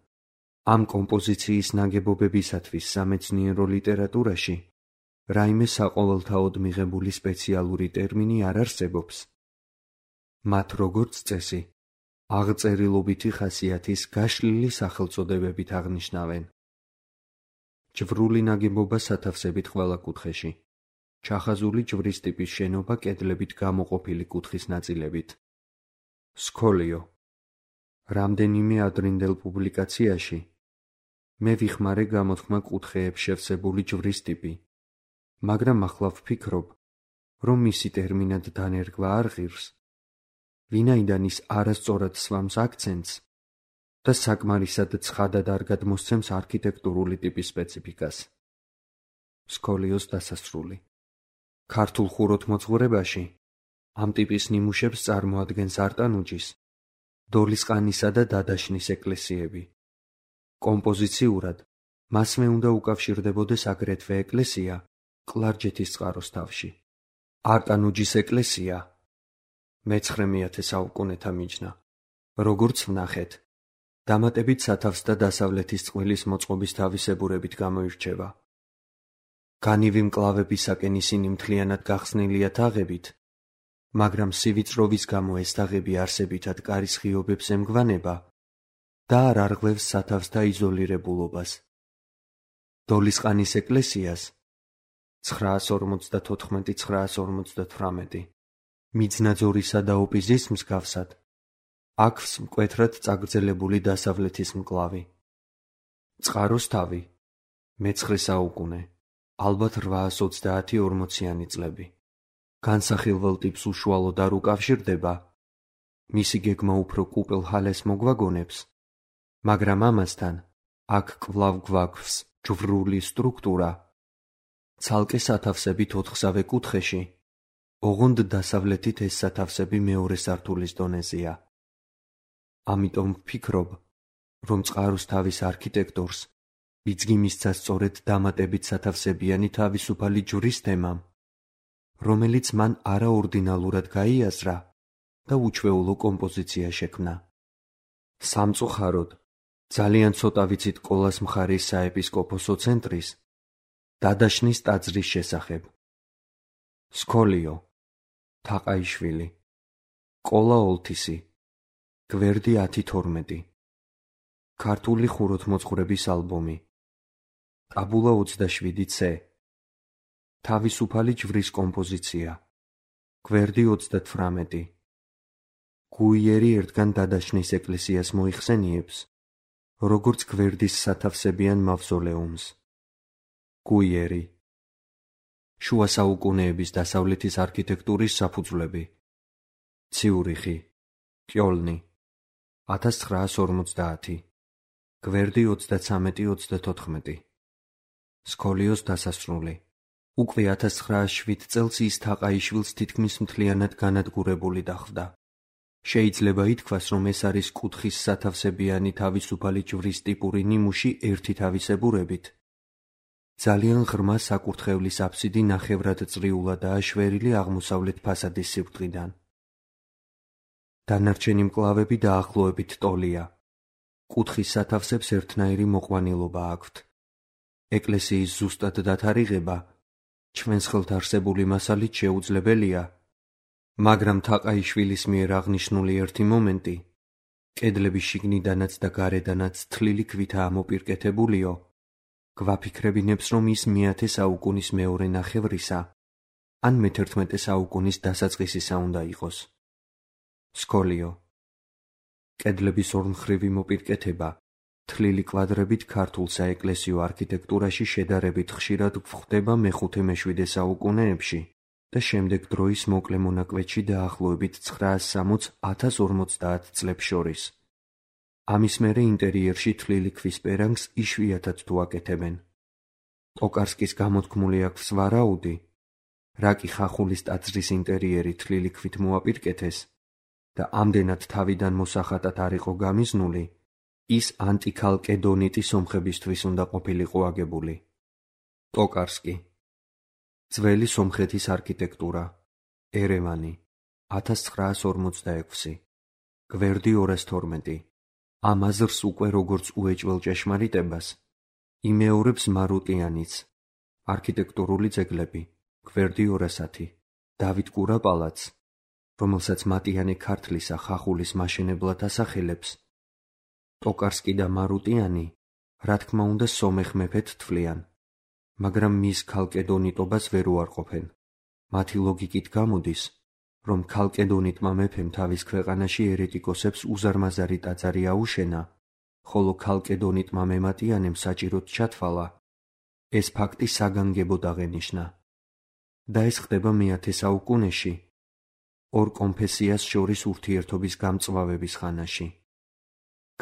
ამ კომპოზიციის ნაგებობებისათვის სამეცნიერო ლიტერატურაში რაიმე საყოველთაოდ მიღებული სპეციალური ტერმინი არ არსებობს. მათ როგორც წესი, აღწერილობითი ხასიათის გაშლილი სახელწოდებებით აღნიშნავენ. ჯვრული ნაგებობა სათავსებით ყველა კუთხეში. ჩახაზული ჯვრის ტიპის შენობა კედლებით გამოყოფილი კუთხის ნაწილებით. სქოლიო. რამდენიმე ადრინდელ პუბლიკაციაში მე ვიხმარე გამოთქმა კუთხეებს შევსებული ჯვრის ტიპი, მაგრამ ახლა ვფიქრობ, რომ მისი ტერმინად დანერგვა არ ღირს, ვინაიდან ის არასწორად სვამს აქცენტს და საკმარისად ცხადად არ გადმოსცემს არქიტექტურული ტიპის სპეციფიკას. სქოლიოს დასასრული. ქართულ ხუროთმოძღვრებაში ამ ტიპის ნიმუშებს წარმოადგენს არტანუჯის, დოლისყანისა და დადაშნის ეკლესიები. კომპოზიციურად მასმე უნდა უკავშირდებოდეს აგრეთვე ეკლესია კლარჯეთის წყაროს თავში. არტანუჯის ეკლესია მეცხრე მეათე საუკუნეთა მიჯნა, როგორც ვნახეთ, დამატებით სათავს და დასავლეთის წყვილის მოწყობის თავისებურებით გამოირჩევა. განივი მკლავებისაკენ ისინი მთლიანად გახსნილია თაღებით, მაგრამ სივიწროვის გამო ეს თაღები არსებითად კარის ღიობებს ემგვანება და არ არღვევს სათავსთა იზოლირებულობას. დოლისყანის ეკლესიას ცხრაას ორმოცდათოთხმეტი ცხრაას ორმოცდათვრამეტი. მიძნაძორისა და ოპიზის მსგავსად აქვს მკვეთრად წაგრძელებული დასავლეთის მკლავი. წყაროს თავი მეცხრე საუკუნე, ალბათ რვაას ოცდაათი ორმოციანი წლები. განსახილველ ტიპს უშუალოდ არ უკავშირდება, მისი გეგმა უფრო კუპელ ჰალეს მოგვაგონებს, მაგრამ ამასთან აქ კვლავ გვაქვს ჯვრული სტრუქტურა, ცალკე სათავსებით ოთხსავე კუთხეში, ოღონდ დასავლეთით ეს სათავსები მეორე სართულის დონეზეა. ამიტომ ვფიქრობ, რომ წყაროს თავის არქიტექტორს ბიძგი მისცა სწორედ დამატებით სათავსებიანი თავისუფალი ჯვრის თემამ, რომელიც მან არაორდინალურად გაიაზრა და უჩვეულო კომპოზიცია შექმნა. სამწუხაროდ, ძალიან ცოტა ვიცით კოლას მხარის საეპისკოპოსო ცენტრის დადაშნის ტაძრის შესახებ. სკოლიო, თაყაიშვილი, კოლა ოლთისი, გვერდი ათი თორმეტი. ქართული ხუროთმოძღვრების ალბომი. ტაბულა ოცდაშვიდი ცე. თავისუფალი ჯვრის კომპოზიცია. გვერდი ოცდათვრამეტი. გუიერი ერთგან დადაშნის ეკლესიას მოიხსენიებს, როგორც გვერდის სათავსებიან მავზოლეუმს. გუიერი. შუა საუკუნეების დასავლეთის არქიტექტურის საფუძვლები. ციურიხი, კიოლნი, ათას ცხრაას ორმოცდაათი. გვერდი ოცდაცამეტი ოცდათოთხმეტი. სკოლიოს დასასრული. უკვე ათას ცხრაას შვიდ წელს ის თაყაიშვილს თითქმის მთლიანად განადგურებული დახვდა. შეიძლება ითქვას, რომ ეს არის კუთხის სათავსებიანი თავისუფალი ჯვრის ტიპური ნიმუში ერთი თავისებურებით. ძალიან ღრმა საკურთხევლის აფსიდი ნახევრად წრიულადაა შვერილი აღმოსავლეთ ფასადის სიბრტყიდან. დანარჩენი მკლავები დაახლოებით ტოლია. კუთხის სათავსებს ერთნაირი მოყვანილობა აქვთ. ეკლესიის ზუსტად დათარიღება ჩვენს ხელთ არსებული მასალით შეუძლებელია, მაგრამ თაყაიშვილის მიერ აღნიშნული ერთი მომენტი, კედლები შიგნიდანაც და გარედანაც თლილი ქვითაა მოპირკეთებულიო, გვაფიქრებინებს, რომ ის მეათე საუკუნის მეორე ნახევრისა, ან მეთერთმეტე საუკუნის დასაწყისისა უნდა იყოს. სკოლიო. კედლების ორმხრივი მოპირკეთება თლილი კვადრებით ქართულ საეკლესიო არქიტექტურაში შედარებით ხშირად გვხვდება მეხუთე მეშვიდე საუკუნეებში და შემდეგ დროის მოკლე მონაკვეთში დაახლოებით ცხრაას სამოცს ათას ორმოცდაათ წლებს შორის. ამის მერე ინტერიერში თლილი ქვის პერანგს იშვიათად თუ აკეთებენ. ტოკარსკის გამოთქმული აქვს ვარაუდი, რაკი ხახულის ტაძრის ინტერიერი თლილი ქვით მოაპირკეთეს და ამდენად თავიდან მოსახატად არ იყო გამიზნული, ის ანტიქალკედონიტი სომხებისთვის უნდა ყოფილიყო აგებული. ტოკარსკი. ძველი სომხეთის არქიტექტურა. ერევანი. ათას ცხრაას ორმოცდაექვსი. გვერდი ორას თორმეტი. ამ აზრს უკვე როგორც უეჭველ ჭეშმარიტებას იმეორებს მარუტიანიც. არქიტექტურული ძეგლები. გვერდი ორასათი. დავით კურაპალაც, რომელსაც მატიანე ქართლისა ხახულის მაშენებლად ასახელებს. ტოკარსკი და მარუტიანი, რა თქმა უნდა, სომეხ მეფედ თვლიან, მაგრამ მის ქალკედონიტობას ვერ უარყოფენ. მათი ლოგიკით გამოდის, რომ ქალკედონიტმა მეფემ თავის ქვეყანაში ერეტიკოსებს უზარმაზარი ტაძარი აუშენა, ხოლო ქალკედონიტმა მემატიანემ საჭიროდ ჩათვალა. ეს ფაქტი საგანგებოდ აღენიშნა. და ეს ხდება მეათე საუკუნეში, ორ კონფესიას შორის ურთიერთობის გამწვავების ხანაში.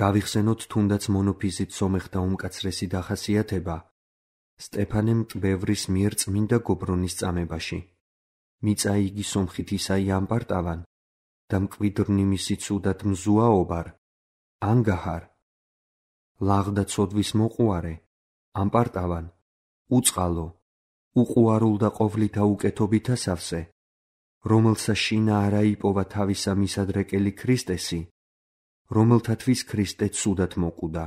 გავიხსენოთ თუნდაც მონოფიზით სომეხთა უმკაცრესი დახასიათება სტეფანე მტბევრის მიერ წმინდა გობრონის წამებაში. მიწა იგი სომხით ისაი ამპარტავან და მკვიდრნი მისი ცუდად მზუაობარ, ანგაჰარ, ლაღდა ცოდვის მოყუარე, ამპარტავან, უწყალო, უყუარულდა და ყოვლითა უკეთობითა სავსე, რომელსა შინა არა იპოვა თავისა მისადრეკელი ქრისტესი, რომელთათვის ქრისტე ცუდად მოკვდა.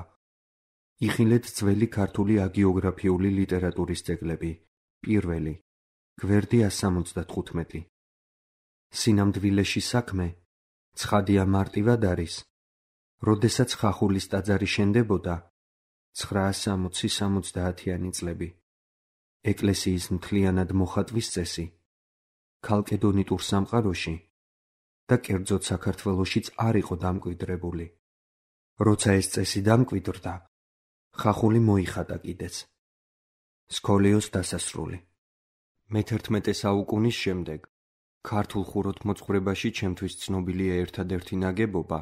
იხილეთ ძველი ქართული აგიოგრაფიული ლიტერატურის ძეგლები. პირველი. გვერდი ას სამოცდათხუთმეტი. სინამდვილეში საქმე ცხადია მარტივად არის, როდესაც ხახულის ტაძარი შენდებოდა ცხრაას სამოცი სამოცდაათიანი წლები. ეკლესიის მთლიანად მოხატვის წესი ქალკედონიტურ სამყაროში და კერძოდ საქართველოშიც არ იყო დამკვიდრებული. როცა ეს წესი დამკვიდრდა, ხახული მოიხატა კიდეც. სქოლიოს დასასრული. მეთერთმეტე საუკუნის შემდეგ ქართულ ხუროთმოძღვრებაში ჩემთვის ცნობილია ერთადერთი ნაგებობა,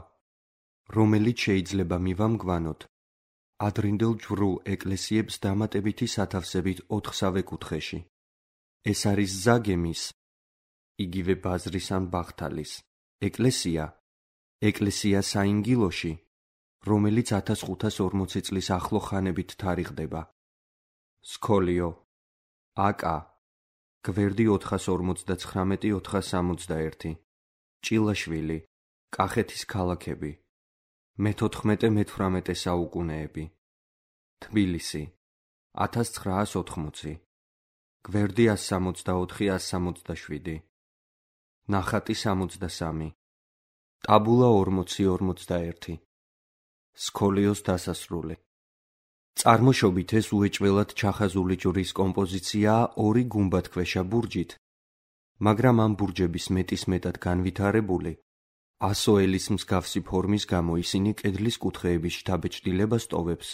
რომელიც შეიძლება მივამგვანოთ ადრინდელ ჯვრულ ეკლესიებს დამატებითი სათავსებით ოთხსავე კუთხეში. ეს არის ზაგემის, იგივე ბაზრის ან ბახთალის ეკლესია, ეკლესია საინგილოში, რომელიც ათას ხუთას ორმოცი წლის ახლო ხანებით თარიღდება. სქოლიო, აკა, გვერდი ოთხას ორმოცდაცხრამეტი ოთხას სამოცდაერთი, ჭილაშვილი, კახეთის ქალაქები, მეთოთხმეტე მეთვრამეტე საუკუნეები, თბილისი, ათას ცხრაას ოთხმოცი, გვერდი ას სამოცდაოთხი ას სამოცდაშვიდი, ნახატი სამოცდასამი, ტაბულა ორმოცი ორმოცდაერთი, სქოლიოს დასასრული. წარმოშობით ეს უეჭველად ჩახაზული ჯვრის კომპოზიციაა ორი გუმბათქვეშა ბურჯით, მაგრამ ამ ბურჯების მეტისმეტად განვითარებული, ასოელის მსგავსი ფორმის გამო ისინი კედლის კუთხეების შთაბეჭდილებას ტოვებს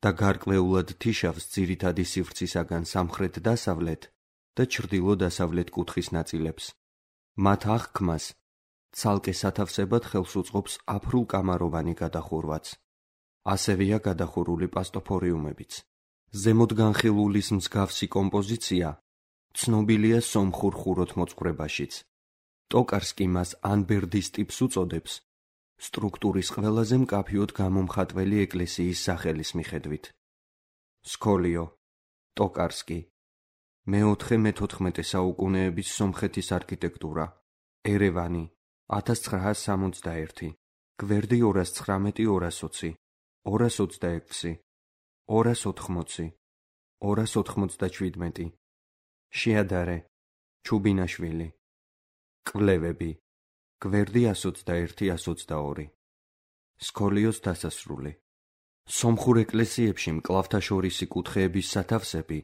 და გარკვეულად თიშავს ძირითადი სივრცისაგან სამხრეთ-დასავლეთ და ჩრდილო-დასავლეთ კუთხის ნაწილებს. მათ აღქმას ცალკე სათავსებად ხელს უწყობს აფრულკამაროვანი გადახურვაც. ასევეა გადახურული პასტოფორიუმებიც. ზემოთ განხილულის მსგავსი კომპოზიცია ცნობილია სომხურ ხუროთმოძღვრებაშიც. ტოკარსკი მას ანბერდის ტიპს უწოდებს, სტრუქტურის ყველაზე მკაფიოდ გამომხატველი ეკლესიის სახელის მიხედვით. სქოლიო, ტოკარსკი, მეოთხე მეთოთხმეტე საუკუნეების სომხეთის არქიტექტურა, ერევანი, ათას ცხრაას სამოცდაერთი, გვერდი ორას ცხრამეტი ორას ოცი, ორას ოცდაექვსი, ორას ოთხმოცი, ორას ოთხმოცდაჩვიდმეტი, შეადარე, ჩუბინაშვილი, კვლევები, გვერდი ას ოცდაერთი ას ოცდაორი, სქოლიოს დასასრული. სომხურ ეკლესიებში მკლავთაშორისი კუთხეების სათავსები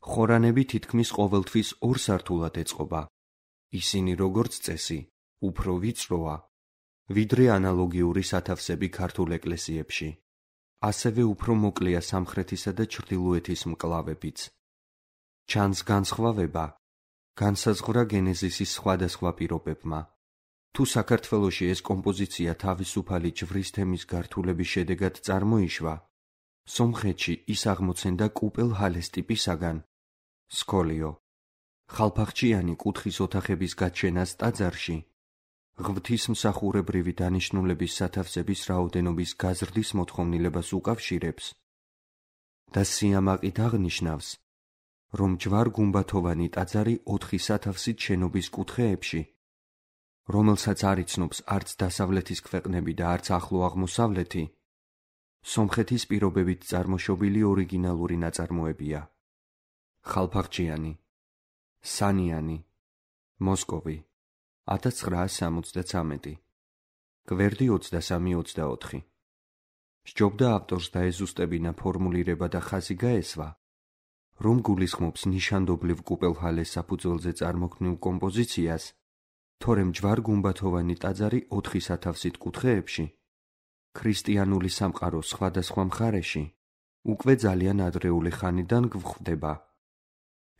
ხორანები თითქმის ყოველთვის ორ სართულად ეწყობა. ისინი როგორც წესი უფრო ვიწროა, ვიდრე ანალოგიური სათავსები ქართულ ეკლესიებში. ასევე უფრო მოკლეა სამხრეთისა და ჩრდილოეთის მკლავებიც. ჩანს განსხვავება განსაზღვრა გენეზისის სხვადასხვა პირობებმა. თუ საქართველოში ეს კომპოზიცია თავისუფალი ჯვრის თემის გართულების შედეგად წარმოიშვა, სომხეთში ის აღმოცენდა კუპელჰალეს ტიპისაგან. სქოლიო, ხალფახჩიანი კუთხის ოთახების გაჩენას ტაძარში, ღვთისმსახურებრივი დანიშნულების სათავსების რაოდენობის გაზრდის მოთხოვნილებას უკავშირებს და სიამაყით აღნიშნავს, რომ ჯვარ-გუმბათოვანი ტაძარი ოთხი სათავსით შენობის კუთხეებში, რომელსაც არ იცნობს არც დასავლეთის ქვეყნები და არც ახლო აღმოსავლეთი, სომხეთის პირობებით წარმოშობილი ორიგინალური ნაწარმოებია. ხალფახჩიანი, სანიანი, მოსკოვი, ათას ცხრაას სამოცდაცამეტი, გვერდი ოცდასამი ოცდაოთხი. სჯობდა ავტორს დაეზუსტებინა ფორმულირება და ხაზი გაესვა, რომ გულისხმობს ნიშანდობლივ კუპელჰალეს საფუძველზე წარმოქმნილ კომპოზიციას, თორემ ჯვარ-გუმბათოვანი ტაძარი ოთხი სათავსით კუთხეებში, ქრისტიანული სამყაროს სხვადასხვა მხარეში, უკვე ძალიან ადრეული ხანიდან გვხვდება.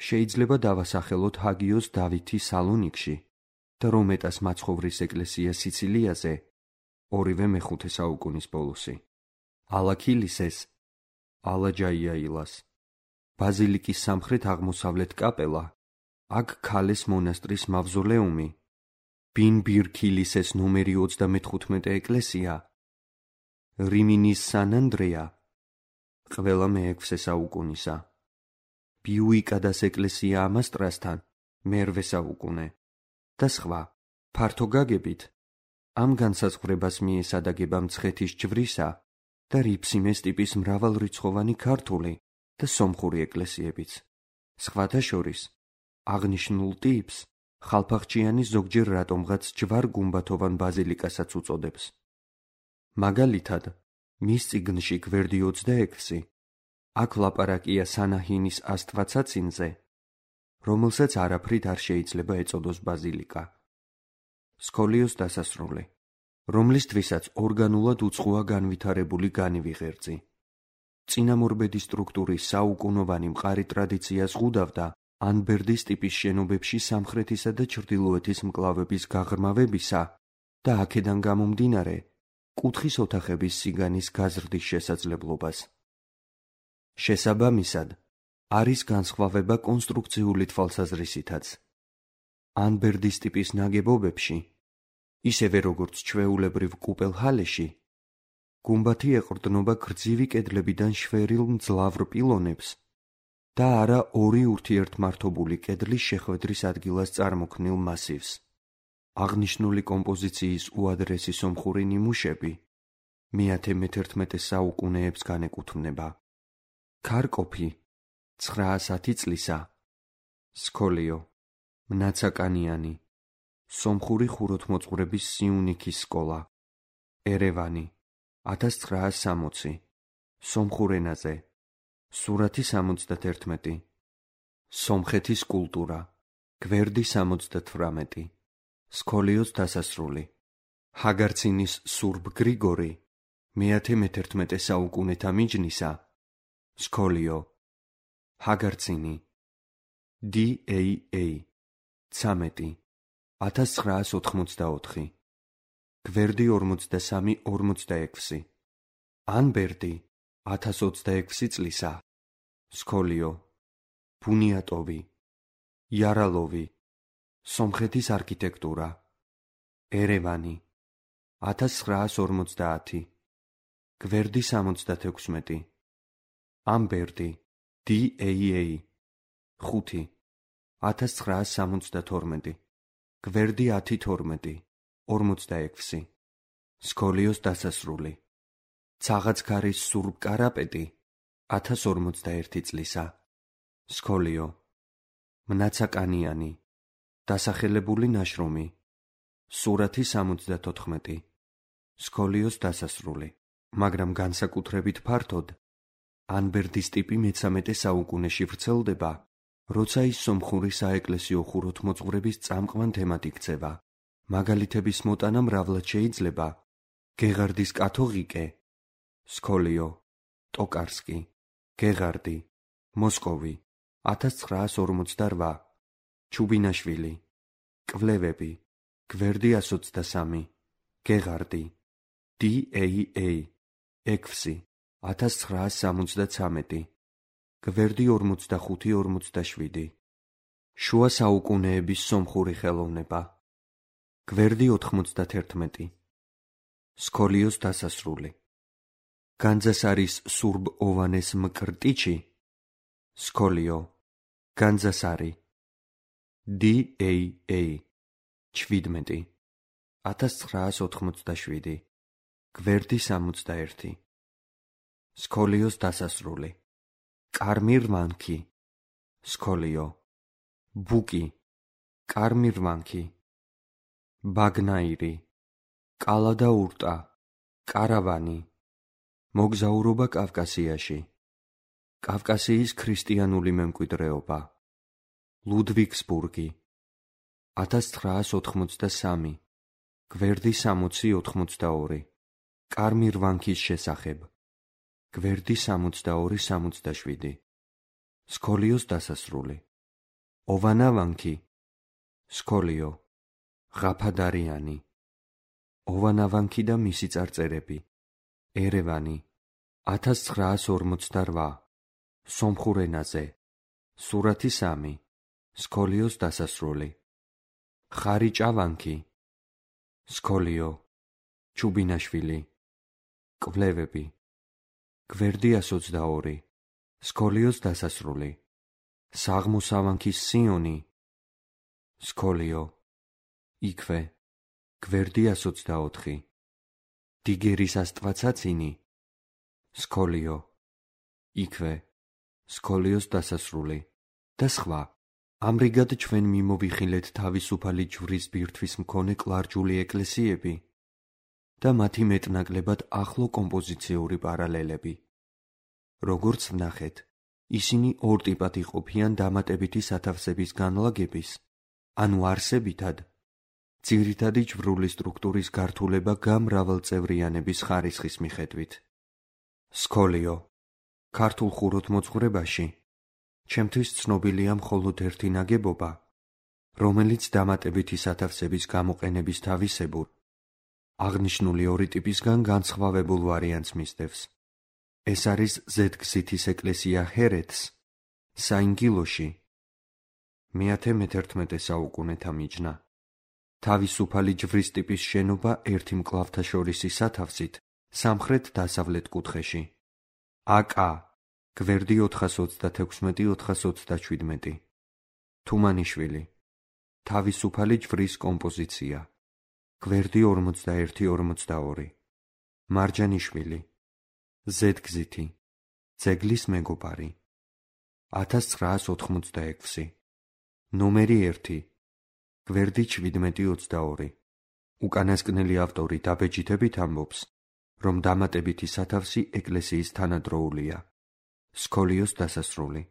შეიძლება დავასახელოთ ჰაგიოს დავითი სალონიკში და რომეტას მაცხოვრის ეკლესია სიცილიაზე, ორივე მეხუთე საუკუნის ბოლოსი. ალაქილისეს, ალაჯაიაილას, ბაზილიკის სამხრეთ აღმოსავლეთ კაპელა, აქ ქალეს მონასტრის მავზოლეუმი, ბინბირქილისეს ნომერი ოცდამეთხუთმეტე ეკლესია, რიმინის სან-ანდრეა, ყველა მეექვსე საუკუნისა, ბიუიკადას ეკლესია ამასტრასთან, მერვე საუკუნე და სხვა. ფართო გაგებით ამ განსაზღვრებას მიესადაგება მცხეთის ჯვრისა და რიფსიმეს ტიპის მრავალრიცხოვანი ქართული და სომხური ეკლესიებიც. სხვათა შორის აღნიშნულ ტიპს ხალფახჩიანი ზოგჯერ რატომღაც ჯვარ-გუმბათოვან ბაზილიკასაც უწოდებს. მაგალითად, მის წიგნში გვერდი ოცდაექვსი აქ ლაპარაკია სანაჰინის աստվածაცინზე, რომელსაც არაფრით არ შეიძლება ეწოდოს ბაზილიკა. სკოლიოს დასასრული, რომლისთვისაც ორგანულად უცხოა განვითარებული განივი ღერძი. წინამორბედი სტრუქტურის საუკუნოვანი მყარი ტრადიცია ზღუდავდა ანბერდის ტიპის შენობებში სამხრეთისა და ჩრდილოეთის მკლავების გაღრმავებისა და აქედან გამომდინარე კუთხის ოთახების სიგანის გაზრდის შესაძლებლობას. შესაბამისად, არის განსხვავება კონსტრუქციული თვალსაზრისითაც. ანბერდის ტიპის ნაგებობებში, ისევე როგორც ჩვეულებრივ კუპელჰალეში, გუმბათი ეყრდნობა გრძივი კედლებიდან შვერილ მძლავრ პილონებს და არა ორი ურთიერთმართობული კედლის შეხვედრის ადგილას წარმოქმნილ მასივს. აღნიშნული კომპოზიციის უადრესი სომხური ნიმუშები მეათე მეთერთმეტე საუკუნეებს განეკუთვნება. ქარკოფი ცხრაასათი წლისა, სკოლიო, მნაცაკანიანი, სომხური ხუროთმოძღვრების სიუნიქის სკოლა, ერევანი, ათას ცხრაას სამოცი, სომხურ ენაზე, სურათი სამოცდათერთმეტი, სომხეთის კულტურა, გვერდი სამოცდათვრამეტი, სკოლიოს დასასრული, ჰაგარცინის სურბ გრიგორი, მეათე მეთერთმეტე საუკუნეთა მიჯნისა, სკოლიო, ჰაგარცინი, დი ეი ეი, ცამეტი, ათას ცხრაას ოთხმოცდაოთხი, გვერდი ორმოცდასამი ორმოცდაექვსი, ანბერდი, ათას ოცდაექვსი წლისა, სკოლიო, ბუნიატოვი, იარალოვი, სომხეთის არქიტექტურა, ერევანი, ათას ცხრაას ორმოცდაათი, გვერდი სამოცდათექვსმეტი, ამბერდი, დი ეი ეი, ხუთი, ათას ცხრაას სამოცდათორმეტი, გვერდი ათი თორმეტი, ორმოცდაექვსი, სკოლიოს დასასრული, ცაღაცქარის სურბ კარაპეტი, ათას ორმოცდაერთი წლისა, სკოლიო, მნაცაკანიანი, დასახელებული ნაშრომი, სურათი სამოცდათოთხმეტი, სკოლიოს დასასრული, მაგრამ განსაკუთრებით ფართოდ ანბერდის ტიპი მეცამეტე საუკუნეში ვრცელდება, როცა ის სომხური საეკლესიო ხუროთმოძღვრების წამყვან თემად იქცევა. მაგალითების მოტანა მრავლად შეიძლება: გეღარდის კათოღიკე, სკოლიო, ტოკარსკი, გეღარდი, მოსკოვი, ათას ცხრაას ორმოცდარვა, ჩუბინაშვილი, კვლევები, გვერდი ასი ოცდასამი, გეღარდი, დი ეი ეი, ექვსი, ათას ცხრაას სამოცდაცამეტი, გვერდი ორმოცდახუთი ორმოცდაშვიდი, შუა საუკუნეების სომხური ხელოვნება, გვერდი ოთხმოცდათერთმეტი, სკოლიოს დასასრული, განძასარის სურბ ოვანეს მკრტიჩი, სკოლიო, განძასარი, დი ეი ეი, ჩვიდმეტი, ათას ცხრაას ოთხმოცდაშვიდი, გვერდი სამოცდაერთი, სკოლიოს დასასრული, კარმირვანქი, სკოლიო, ბუკი, კარმირვანქი, ბაგნაირი, კალა და ურტა, კარავანი, მოგზაურობა კავკასიაში, კავკასიის ქრისტიანული მემკვიდრეობა, ლუდვიგსბურგი, ათას ცხრაას ოთხმოცდასამი, გვერდი სამოცი ოთხმოცდაორი, კარმირვანქის შესახებ, გვერდი სამოცდაორი სამოცდაშვიდი, სკოლიოს დასასრული, ოვანავანქი, სკოლიო, ღაფადარიანი, ოვანავანქი და მისი წარწერები, ერევანი, ათას ცხრაას ორმოცდარვა, სომხურ ენაზე, სურათი სამი, სკოლიოს დასასრული, ხარიჭავანქი, სკოლიო, ჩუბინაშვილი, კვლევები, გვერდი ასი ოცდაორი, სკოლიოს დასასრული, საღმოსავანქის სიონი, სკოლიო, იქვე, გვერდი ასი ოცდაოთხი, დიგერის ასტვაცაცინი, სკოლიო, იქვე, სკოლიოს დასასრული და სხვა. ამრიგად ჩვენ მიმოვიხილეთ თავისუფალი ჯვრის ბირთვის მქონე კლარჯული ეკლესიები და მათი მეტნაკლებად ახლო კომპოზიციური პარალელები. როგორც ვნახეთ, ისინი ორ ტიპად იყოფიან დამატებითი სათავსების განლაგების, ანუ არსებითად, ძირითადი ჯვრული სტრუქტურის გართულება გამრავალწევრიანების ხარისხის მიხედვით. სქოლიო. ქართულ ხუროთმოძღვრებაში ჩემთვის ცნობილია მხოლოდ ერთი ნაგებობა, რომელიც დამატებითი სათავსების გამოყენების თავისებურ, აღნიშნული ორი ტიპისგან განსხვავებულ ვარიანტს მისდევს. ეს არის ზედგზითის ეკლესია ჰერეთს, საინგილოში, მეათე მეთერთმეტე საუკუნეთა მიჯნა. თავისუფალი ჯვრის ტიპის შენობა ერთი მკლავთაშორისი სათავსით სამხრეთ-დასავლეთ კუთხეში. აკა, გვერდი ოთხას ოცდათექვსმეტი ოთხას ოცდაშვიდმეტი. თუმანიშვილი. თავისუფალი ჯვრის კომპოზიცია. გვერდი ორმოცდაერთი ორმოცდაორი. მარჯანიშვილი. ზედგზითი. ძეგლის მეგობარი. ათას ცხრაას ოთხმოცდაექვსი. ნომერი ერთი. გვერდი შვიდმეტი ოცდაორი. უკანასკნელი ავტორი დაბეჯითებით ამბობს, რომ დამატებითი სათავსი ეკლესიის თანადროულია. სქოლიოს დასასრული.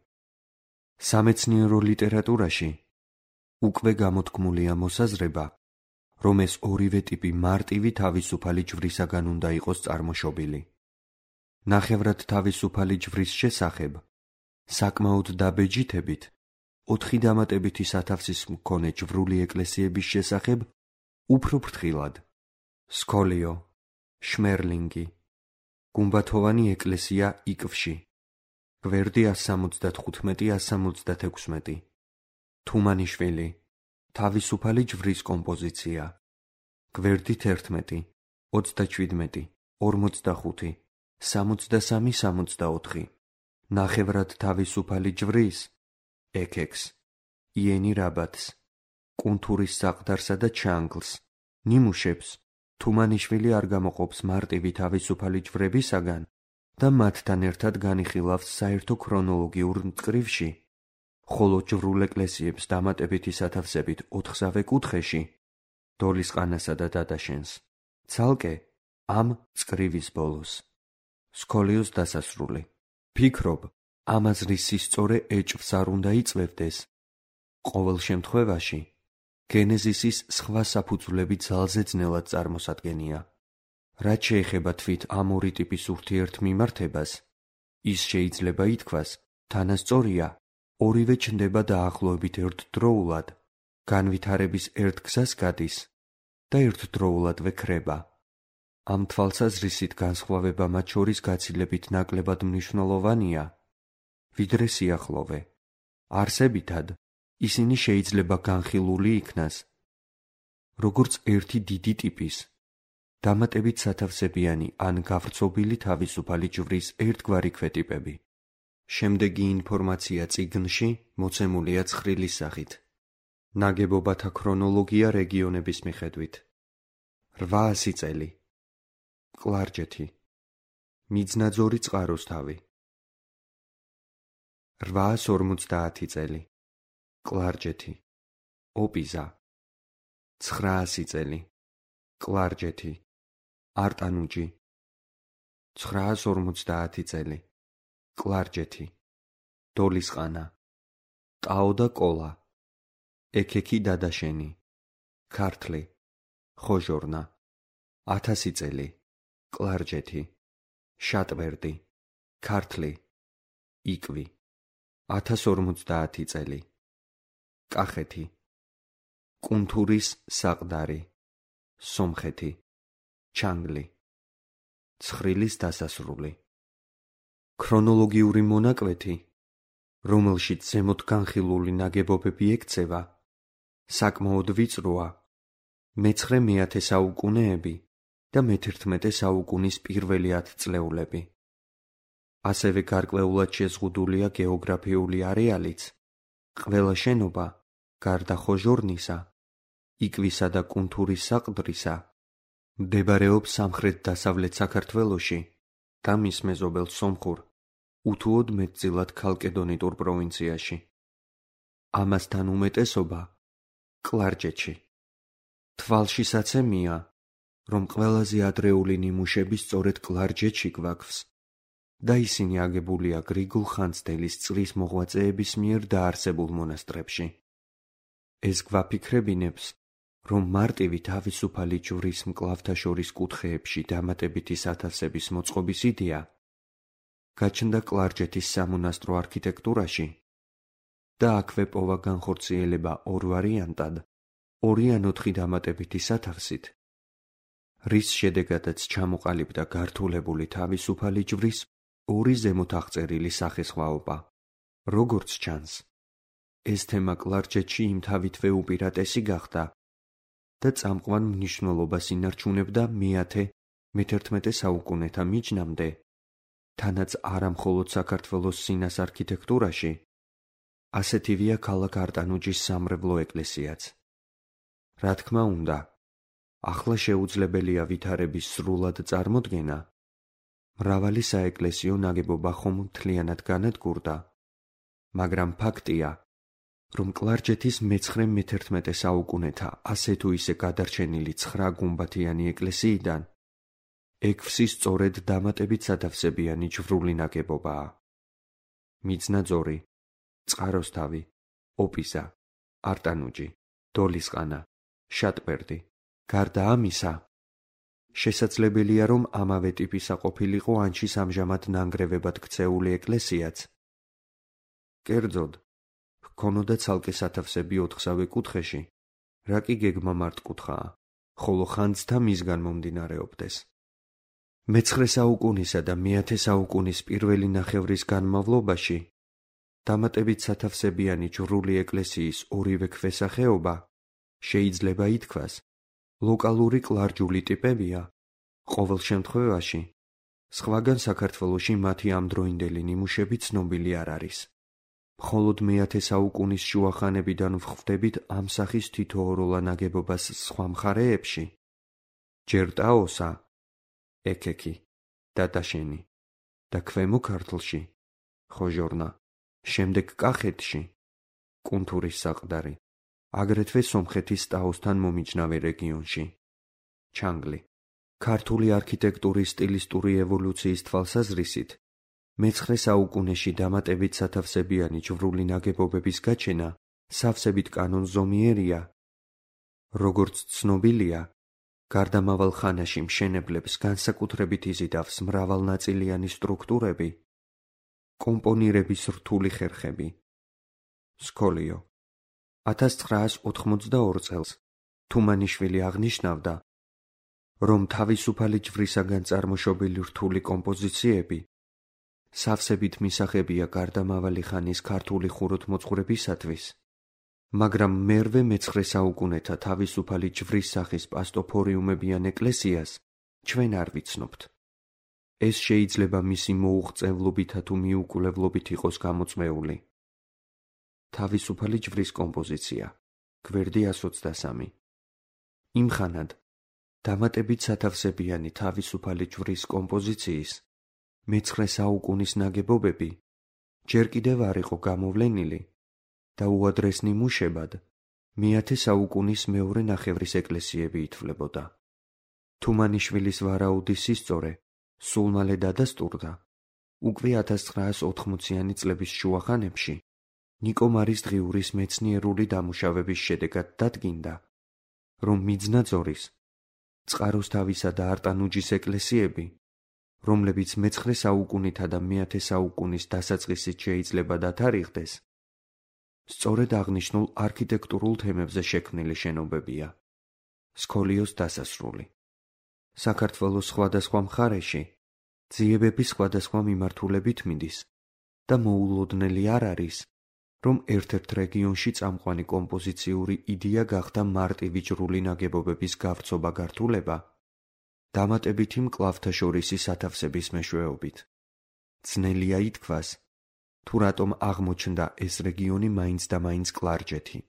სამეცნიერო ლიტერატურაში უკვე გამოთქმულია მოსაზრება, რომ ეს ორივე ტიპი მარტივი თავისუფალი ჯვრისაგან უნდა იყოს წარმოშობილი. ნახევრად თავისუფალი ჯვრის შესახებ, საკმაოდ დაბეჯითებით, ოთხი დამატებითი სათავსის მქონე ჯვრული ეკლესიების შესახებ უფრო ფრთხილად. სქოლიო, შმერლინგი. გუმბათოვანი ეკლესია იკვში. გვერდი ას სამოცდათხუთმეტი ას სამოცდათექვსმეტი. თუმანიშვილი. თავისუფალი ჯვრის კომპოზიცია. გვერდი თერთმეტი, ოცდაშვიდმეტი, ორმოცდახუთი, სამოცდასამი სამოცდაოთხი. ნახევრად თავისუფალი ჯვრის ექექს, იენი რაბათს, კუნთურის საყდარსა და ჩანგლს, ნიმუშებს თუმანიშვილი არ გამოყოფს მარტივი თავისუფალი ჯვრებისაგან და მათთან ერთად განიხილავს საერთო ქრონოლოგიურ მწკრივში, ხოლო ჯვრულ ეკლესიებს დამატებითი სათავსებით ოთხსავე კუთხეში, დოლისყანასა და დადაშენს, ცალკე ამ მწკრივის ბოლოს. სქოლიოს დასასრული. ფიქრობ, ამ აზრის სისწორე ეჭვს არ უნდა იწვევდეს. ყოველ შემთხვევაში, გენეზისის სხვა საფუძვლები ძალზე ძნელად წარმოსადგენია. რაც შეეხება თვით ამ ორი ტიპის ურთიერთმიმართებას, ის შეიძლება ითქვას, თანასწორია, ორივე ჩნდება დაახლოებით ერთდროულად, განვითარების ერთ გზას გადის და ერთდროულადვე ქრება. ამ თვალსაზრისით განსხვავება მათ შორის გაცილებით ნაკლებად მნიშვნელოვანია, ვიდრე სიახლოვე. არსებითად, ისინი შეიძლება განხილული იქნას, როგორც ერთი დიდი ტიპის, დამატებით სათავსებიანი ან გავრცობილი თავისუფალი ჯვრის ერთგვარი ქვეტიპები. შემდეგი ინფორმაცია წიგნში მოცემულია ცხრილის სახით. ნაგებობათა ქრონოლოგია რეგიონების მიხედვით. რვაასი წელი. კლარჯეთი. მიძნაძორი წყაროსთავი. რვაას ორმოცდაათი წელი. კლარჯეთი. ოპიზა. ცხრაასი წელი. კლარჯეთი. არტანუჯი. ცხრაას ორმოცდაათი წელი. კლარჯეთი. დოლისყანა. ტაო და კოლა. ექექი დადაშენი. ქართლი. ხოჟორნა. ათასი წელი. კლარჯეთი. შატბერდი. ქართლი. იკვი. ათას ორმოცდაათი წელი. კახეთი. კუნთურის საყდარი. სომხეთი. ჩანგლი. ცხრილის დასასრული. ქრონოლოგიური მონაკვეთი, რომელშიც ზემოთ განხილული ნაგებობები ექცევა, საკმაოდ ვიწროა, მეცხრე მეათე საუკუნეები და მეთერთმეტე საუკუნის პირველი ათწლეულები. ასევე გარკვეულად შეზღუდულია გეოგრაფიული არეალიც, ყველა შენობა, გარდა ხოჟორნისა, იკვისა და კუნთურის საყდრისა, მდებარეობს სამხრეთ-დასავლეთ საქართველოში და მის მეზობელ სომხურ, უთუოდ მეტწილად ქალკედონიტურ პროვინციაში. ამასთან უმეტესობა კლარჯეთში. თვალშისაცემია, რომ ყველაზე ადრეული ნიმუშები სწორედ კლარჯეთში გვაქვს და ისინი აგებულია გრიგოლ ხანძთელის წრის მოღვაწეების მიერ დაარსებულ მონასტრებში. ეს გვაფიქრებინებს, რომ მარტივი თავისუფალი ჯვრის მკლავთა შორის კუთხეებში დამატებითი სათავსების მოწყობის იდეა გაჩნდა კლარჯეთის სამონასტრო არქიტექტურაში და აქვე პოვა განხორციელება ორ ვარიანტად, ორი ან ოთხი დამატებითი სათავსით, რის შედეგადაც ჩამოყალიბდა გართულებული თავისუფალი ჯვრის ორი ზემოთ აღწერილი სახესხვაობა. როგორც ჩანს, ეს თემა კლარჯეთში იმთავითვე უპირატესი გახდა და წამყვან მნიშვნელობას ინარჩუნებდა მეათე მეთერთმეტე საუკუნეთა მიჯნამდე, თანაც არა მხოლოდ საქართველოს სინას არქიტექტურაში, ასეთივეა ქალაქ არტანუჯის სამრევლო ეკლესიაც. რა თქმა უნდა, ახლა შეუძლებელია ვითარების სრულად წარმოდგენა, მრავალი საეკლესიო ნაგებობა ხომ მთლიანად განადგურდა, მაგრამ ფაქტია, რომ კლარჯეთის მეცხრე მეთერთმეტე საუკუნეთა ასე თუ ისე გადარჩენილი ცხრა გუმბათიანი ეკლესიიდან ექვსი სწორედ დამატებით სათავსებიანი ჯვრული ნაგებობაა. მიწნაძორი, წყაროსთავი, ოპიზა, არტანუჯი, დოლისყანა, შატბერდი. გარდა ამისა, შესაძლებელია, რომ ამავე ტიპისა ყოფილიყო ანჩის ამჟამად ნანგრევებად ქცეული ეკლესიაც. კერძოდ, ჰქონოდა ცალკე სათავსები ოთხსავე კუთხეში, რა კი გეგმა მართკუთხაა, ხოლო ხანძთა მისგან მომდინარეობდეს. მეცხრე საუკუნისა და მეათე საუკუნის პირველი ნახევრის განმავლობაში დამატებით სათავსებიანი ჯვრული ეკლესიის ორივე ქვესახეობა შეიძლება ითქვას, ლოკალური კლარჯული ტიპებია, ყოველ შემთხვევაში, სხვაგან საქართველოში მათი ამდროინდელი ნიმუშები ცნობილი არ არის. მხოლოდ მეათე საუკუნის შუახანებიდან ვხვდებით ამ სახის თითოეულა ნაგებობას სხვა მხარეებში, ჯერ ტაოსა, ეკექი, დადაშენი და ქვემო ქართლში, ხოჟორნა, შემდეგ კახეთში, კუნთურის საყდარი, აგრეთვე სომხეთის ტაოსთან მომიჯნავე რეგიონში. ჩანგლი. ქართული არქიტექტურის სტილისტური ევოლუციის თვალსაზრისით, მეცხრე საუკუნეში დამატებით სათავსებიანი ჯვრული ნაგებობების გაჩენა სავსებით კანონზომიერია. როგორც ცნობილია, გარდამავალ ხანაში მშენებლებს განსაკუთრებით იზიდავს მრავალნაწილიანი სტრუქტურები, კომპონირების რთული ხერხები. სკოლიო. ათას ცხრაას ოთხმოცდაორ წელს თუმანიშვილი აღნიშნავდა, რომ თავისუფალი ჯვრისაგან წარმოშობილი რთული კომპოზიციები სავსებით მისაღებია გარდამავალი ხანის ქართული ხუროთმოძღვრებისათვის, მაგრამ მერვე მეცხრე საუკუნეთა თავისუფალი ჯვრის სახის პასტოფორიუმებიან ეკლესიას ჩვენ არ ვიცნობთ. ეს შეიძლება მისი მოუღწევლობითა თუ მიუკვლევლობით იყოს გამოწვეული. თავისუფალი ჯვრის კომპოზიცია, გვერდი εκατს ოცდასამი. იმხანად, დამატებით სათავსებიანი თავისუფალი ჯვრის კომპოზიციის მეცხრე საუკუნის ნაგებობები ჯერ კიდევ არ იყო გამოვლენილი და უადრეს ნიმუშებად მეათე საუკუნის მეორე ნახევრის ეკლესიები ითვლებოდა. თუმანიშვილის ვარაუდის სისწორე სულ მალე დადასტურდა, უკვე ათას ცხრაას ოთხმოციანი წლების შუახანებში ნიკო მარის დღიურის მეცნიერული დამუშავების შედეგად დადგინდა, რომ მიძნაძორის, წყაროსთავისა და არტანუჯის ეკლესიები, რომლებიც მეცხრე საუკუნითა და მეათე საუკუნის დასაწყისით შეიძლება დათარიღდეს, სწორედ აღნიშნულ არქიტექტურულ თემებზე შექმნილი შენობებია. სკოლიოს დასასრული. საქართველოს სხვადასხვა მხარეში ძიებები სხვადასხვა მიმართულებით მიდის და მოულოდნელი არ არის, რომ ერთ-ერთ რეგიონში წამყვანი კომპოზიციური იდეა გახდა მარტივი ჯვრული ნაგებობების გავრცობა-გართულება, დამატებითი მკლავთაშორისი სათავსების მეშვეობით. ძნელია ითქვას, თუ რატომ აღმოჩნდა ეს რეგიონი მაინც და მაინც კლარჯეთი.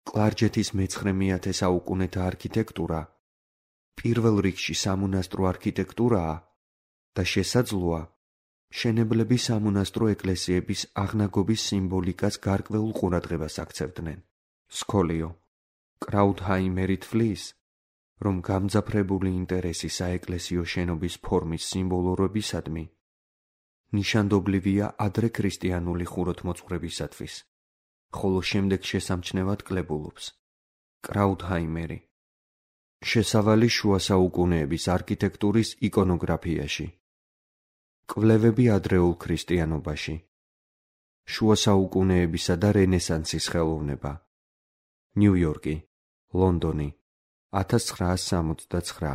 კლარჯეთის მეცხრე მეათე საუკუნეთა არქიტექტურა პირველ რიგში სამონასტრო არქიტექტურაა და შესაძლოა, მშენებლები სამონასტრო ეკლესიების აღნაგობის სიმბოლიკას გარკვეულ ყურადღებას აქცევდნენ. სკოლიო. კრაუთჰაიმერი თვლის, რომ გამძაფრებული ინტერესი საეკლესიო შენობის ფორმის სიმბოლურობისადმი ნიშანდობლივია ადრე ქრისტიანული ხუროთმოძღვრებისათვის, ხოლო შემდეგ შესამჩნევად კლებულობს. კრაუთჰაიმერი. შესავალი შუა საუკუნეების არქიტექტურის იკონოგრაფიაში. კვლევები ადრეულ ქრისტიანობაში. შუა საუკუნეებისა და რენესანსის ხელოვნება. ნიუ-იორკი, ლონდონი, ათას ცხრაას სამოცდაცხრა.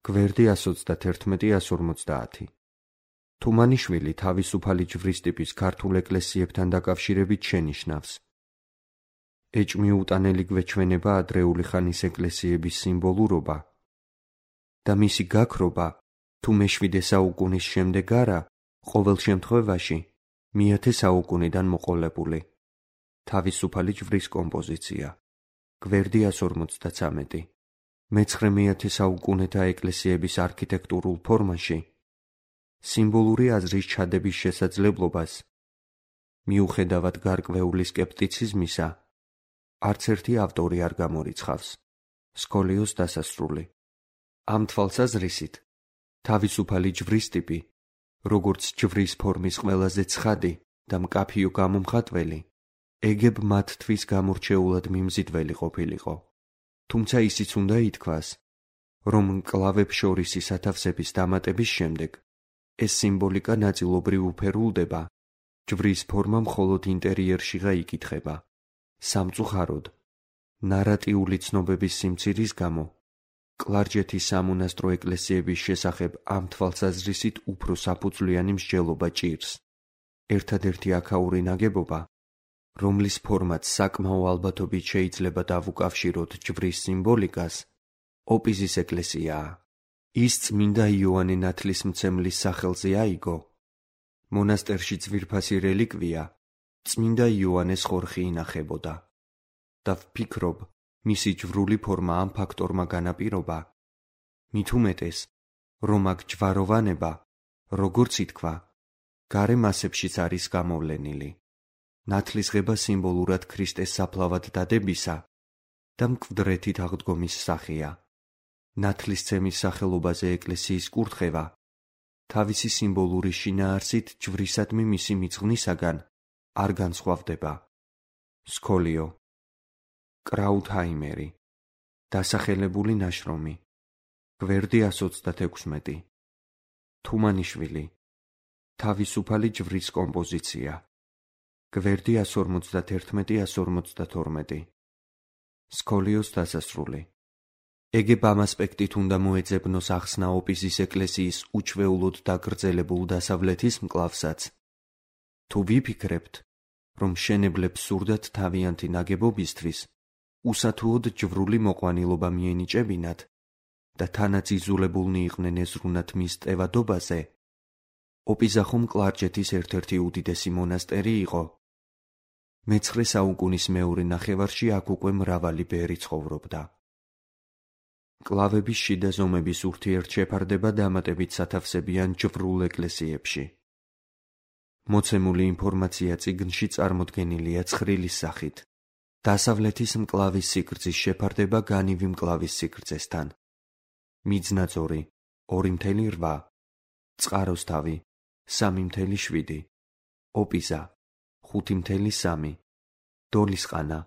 გვერდი ასო ოცდაათი ასო ორმოცდაათი. თუმანიშვილი თავისუფალი ჯვრის ტიპის ქართულ ეკლესიებთან დაკავშირებით შენიშნავს. ეჭმიუტანელი გვეჩვენება ადრეული ხანის ეკლესიების სიმბოლურობა და მისი გაქრობა თუ მეშვიდე საუკუნის შემდეგ არა, ყოველ შემთხვევაში მეათე საუკუნიდან მოყოლებული. თავისუფალი ჯვრის კომპოზიცია. გვერდი ასო ორმოცდათვრამეტი. მეცხრე-მეათე საუკუნეთა ეკლესიების არქიტექტურულ ფორმაში სიმბოლური აზრის ჩადების შესაძლებლობას, მიუხედავად გარკვეული სკეპტიციზმისა, არც ერთი ავტორი არ გამორიცხავს. სკოლიოს დასასრული. ამ თვალსაზრისით, თავისუფალი ჯვრის ტიპი, როგორც ჯვრის ფორმის ყველაზე ცხადი და მკაფიო გამომხატველი, ეგებ მათთვის გამორჩეულად მიმზიდველი ყოფილიყო. თუმცა ისიც უნდა ითქვას, რომ მკლავებს შორისი სათავსების დამატების შემდეგ ეს სიმბოლიკა ნაწილობრივ უფერულდება, ჯვრის ფორმა მხოლოდ ინტერიერშიღა იკითხება. სამწუხაროდ, ნარატიული ცნობების სიმცირის გამო, კლარჯეთის სამონასტრო ეკლესიების შესახებ ამ თვალსაზრისით უფრო საფუძვლიანი მსჯელობა ჭირს. ერთადერთი აქაური ნაგებობა, რომლის ფორმაც საკმაო ალბათობით შეიძლება დავუკავშიროთ ჯვრის სიმბოლიკას, ოპიზის ეკლესიაა. ის წმინდა იოანე ნათლისმცემლის სახელზე აიგო. მონასტერში ძვირფასი რელიკვია წმინდა იოანეს ხორხი ინახებოდა და ვფიქრობ, მისი ჯვრული ფორმა ამ ფაქტორმა განაპირობა, მით უმეტეს, რომ აქ ჯვაროვანება, როგორც ითქვა, გარე მასებშიც არის გამოვლენილი. ნათლისღება სიმბოლურად ქრისტეს საფლავად დადებისა და მკვდრეთით აღდგომის სახეა. ნათლისცემის სახელობაზე ეკლესიის კურთხევა თავისი სიმბოლური შინაარსით ჯვრისადმი მისი მიძღვნისაგან არ განსხვავდება. სკოლიო. კრაუთჰაიმერი. დასახელებული ნაშრომი. გვერდი ასო ოცდათექვსმეტი. თუმანიშვილი. თავისუფალი ჯვრის კომპოზიცია. გვერდი ასო ორმოცდაათი ასო ორმოცდათორმეტი. სკოლიოს დასასრული. ეგებ ამ ასპექტით უნდა მოეძებნოს ახსნა ოპიზის ეკლესიის უჩვეულოდ დაგრძელებულ დასავლეთის მკლავსაც. თუ ვიფიქრებთ, რომ მშენებლებს სურდათ თავიანთი ნაგებობისთვის უსათუოდ ჯვრული მოყვანილობა მიენიჭებინათ და თანაც იზულებულნი იყვნენ ეზრუნათ მის ტევადობაზე, ოპიზა ხომ კლარჯეთის ერთ-ერთი უდიდესი მონასტერი იყო. მეცხრე საუკუნის მეორე ნახევარში აქ უკვე მრავალი ბერი ცხოვრობდა. მკლავების შიდა ზომების ურთიერთშეფარდება დამატებით სათავსებიან ჯვრულ ეკლესიებში. მოცემული ინფორმაცია წიგნში წარმოდგენილია ცხრილის სახით. დასავლეთის მკლავის სიგრძის შეფარდება განივი მკლავის სიგრძესთან. მიძნაწორი ორი მცდარი რვა, წყაროსთავი სამი მცდარი შვიდი, ოპიზა ხუთი მცდარი სამი, დოლისყანა